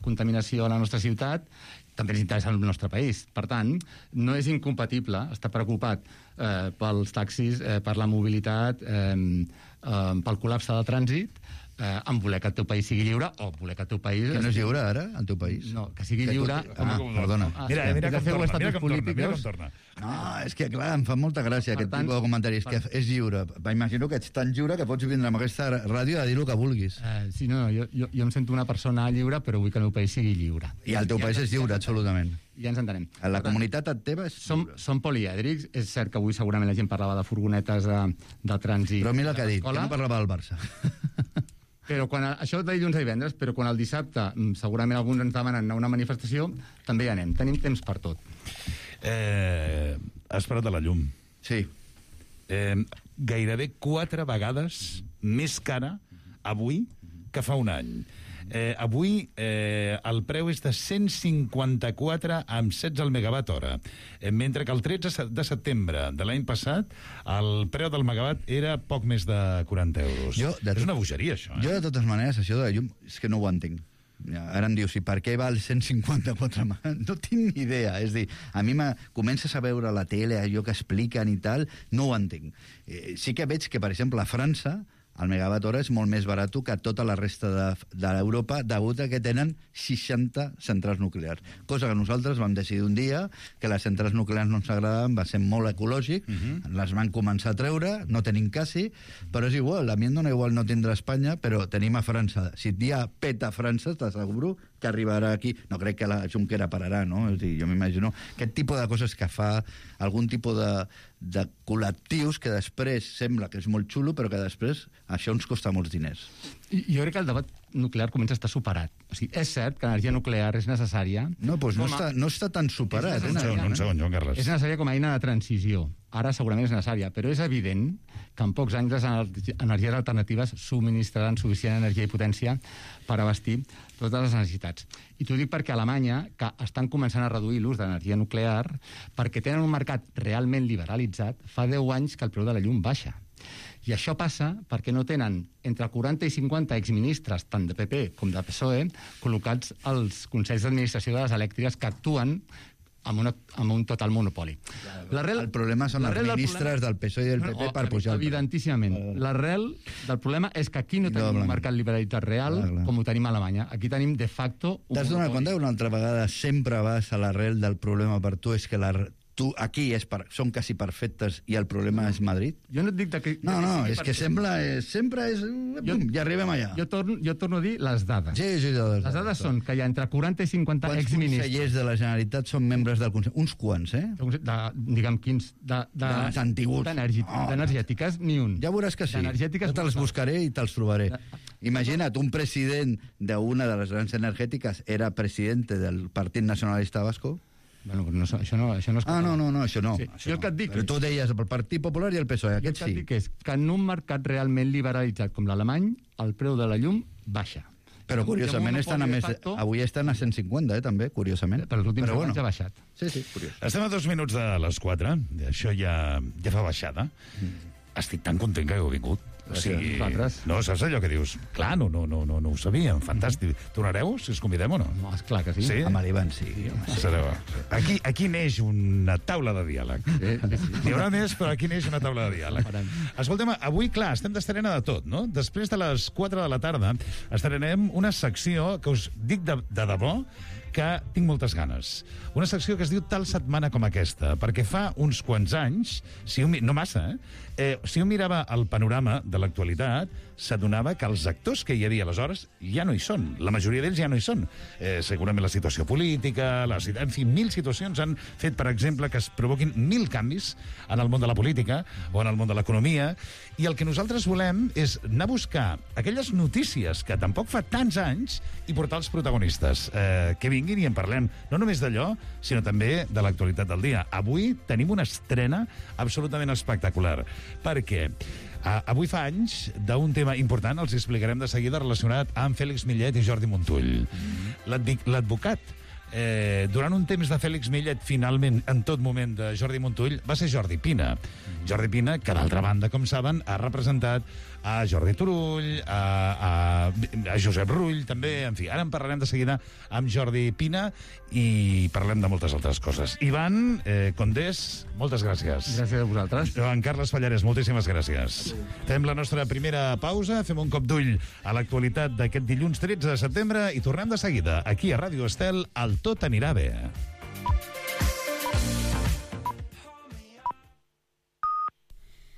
contaminació a la nostra ciutat, també ens interessa el nostre país. Per tant, no és incompatible estar preocupat pels taxis, per la mobilitat, pel col·lapse del trànsit, en voler que el teu país sigui lliure o voler que el teu país... Que no és lliure ara, el teu país? No, que sigui lliure... Perdona. Mira com torna. No, és que clar, em fa molta gràcia aquest tipus de comentaris, que és lliure. M'imagino que ets tan lliure que pots vindre amb aquesta ràdio a dir el que vulguis. Sí, no, jo em sento una persona lliure, però vull que el meu país sigui lliure. I el teu país és lliure, absolutament. Ja ens entenem. La comunitat teva és... Som polièdrics. És cert que avui segurament la gent parlava de furgonetes de trànsit. Però mira el que ha dit, que no parlava del Barça. Però quan això de dilluns a divendres, però quan el dissabte segurament alguns ens demanen anar a una manifestació, també hi anem. Tenim temps per tot. Has parlat de la llum. Sí. Gairebé 4 vegades més cara avui que fa un any. Avui el preu és de 154 amb 16 al megawatt hora, mentre que el 13 de setembre de l'any passat el preu del megawatt era poc més de 40 euros. És una bogeria, això. Jo, de totes maneres, això de la llum, és que no ho entenc. Ara em dius, i per què val 154? No tinc ni idea. És a dir, a mi comences a veure la tele, allò que expliquen i tal, no ho entenc. Sí que veig que, per exemple, a França el megawatt hora és molt més barat que tota la resta d'Europa, degut a que tenen 60 centrals nuclears. Cosa que nosaltres vam decidir un dia que les centrals nuclears no ens agradaven, va ser molt ecològic, les van començar a treure, no tenim quasi, però és igual, a mi em dona igual no tindre Espanya, però tenim a França. Si et dia peta a França, t'asseguro que arribarà aquí. No crec que la Junquera pararà, no? És a dir, jo m'imagino aquest tipus de coses que fa algun tipus de col·lectius que després sembla que és molt xulo, però que després això ens costa molts diners. Jo crec que el debat nuclear comença a estar superat. O sigui, és cert que l'energia nuclear és necessària... No, doncs no està tan superat. Un segon, Joan Carles. És necessària com a eina de transició. Ara segurament és necessària, però és evident que en pocs anys les energies alternatives subministraran suficient energia i potència per abastir totes les necessitats. I t'ho dic perquè a Alemanya, que estan començant a reduir l'ús d'energia nuclear, perquè tenen un mercat realment liberalitzat, fa 10 anys que el preu de la llum baixa. I això passa perquè no tenen entre 40 i 50 exministres, tant de PP com de PSOE, col·locats als consells d'administració de les elèctriques que actuen amb un total monopoli. El problema són els ministres del PSOE i del PP per pujar el preu. Evidentíssimament. L'arrel del problema és que aquí no tenim un mercat liberalitzat real com ho tenim a Alemanya. Aquí tenim, de facto... T'has donat compte que una altra vegada sempre vas a l'arrel del problema per tu, és que aquí són quasi perfectes i el problema és Madrid? Jo no et dic que... No, és que sempre és... Ja arribem allà. Jo torno a dir les dades. Sí, les dades són que hi ha entre 40 i 50 exministres. Quants consellers de la Generalitat són membres del Consell? Uns quants, Diguem quins. D'energètiques, ni un. Ja veuràs que sí. Jo te'ls buscaré i te'ls trobaré. Imagina't, un president d'una de les grans energètiques era presidente del Partit Nacionalista Vasco. Bueno, això no és... No, això no. Sí. Jo el que et dic... Però tu deies el Partit Popular i el PSOE, aquest sí. El que et dic és que en un mercat realment liberalitzat com l'alemany, el preu de la llum baixa. Però curiosament avui estan a 150, també, curiosament. Però l'últim anys ha baixat. Sí, curiós. Estem a 2 minuts de les 4, això ja fa baixada. Estic tan content que heu vingut. O sigui, no, saps allò que dius? Clar, no ho sabíem, fantàstic. Tornareu, si us convidem o no? No, esclar que sí. Sí? Amb l'Ivan, sí. Aquí neix una taula de diàleg. N'hi haurà més, però aquí neix una taula de diàleg. Escolta'm, avui, clar, estem d'estrena de tot, no? Després de les 4 de la tarda estrenem una secció que us dic de debò que tinc moltes ganes. Una secció que es diu Tal setmana com aquesta, perquè fa uns quants anys, no massa, si un mirava el panorama de l'actualitat, s'adonava que els actors que hi havia aleshores ja no hi són. La majoria d'ells ja no hi són. Segurament la situació política, en fi, 1000 situacions han fet, per exemple, que es provoquin 1000 canvis en el món de la política o en el món de l'economia, i el que nosaltres volem és anar a buscar aquelles notícies que tampoc fa tants anys i portar els protagonistes que vinguin i en parlem, no només d'allò, sinó també de l'actualitat del dia. Avui tenim una estrena absolutament espectacular, perquè avui fa anys d'un tema important, els explicarem de seguida, relacionat amb Fèlix Millet i Jordi Montull. L'advocat durant un temps de Fèlix Millet, finalment, en tot moment, de Jordi Montull, va ser Jordi Pina. Jordi Pina, que d'altra banda, com saben, ha representat a Jordi Turull, a Josep Rull, també, en fi. Ara en parlarem de seguida amb Jordi Pina i parlem de moltes altres coses. Ivan Condés, moltes gràcies. Gràcies a vosaltres. Joan Carles Pallarès, moltíssimes gràcies. Fem la nostra primera pausa, fem un cop d'ull a l'actualitat d'aquest dilluns 13 de setembre i tornem de seguida, aquí a Ràdio Estel, al Tot anirà bé.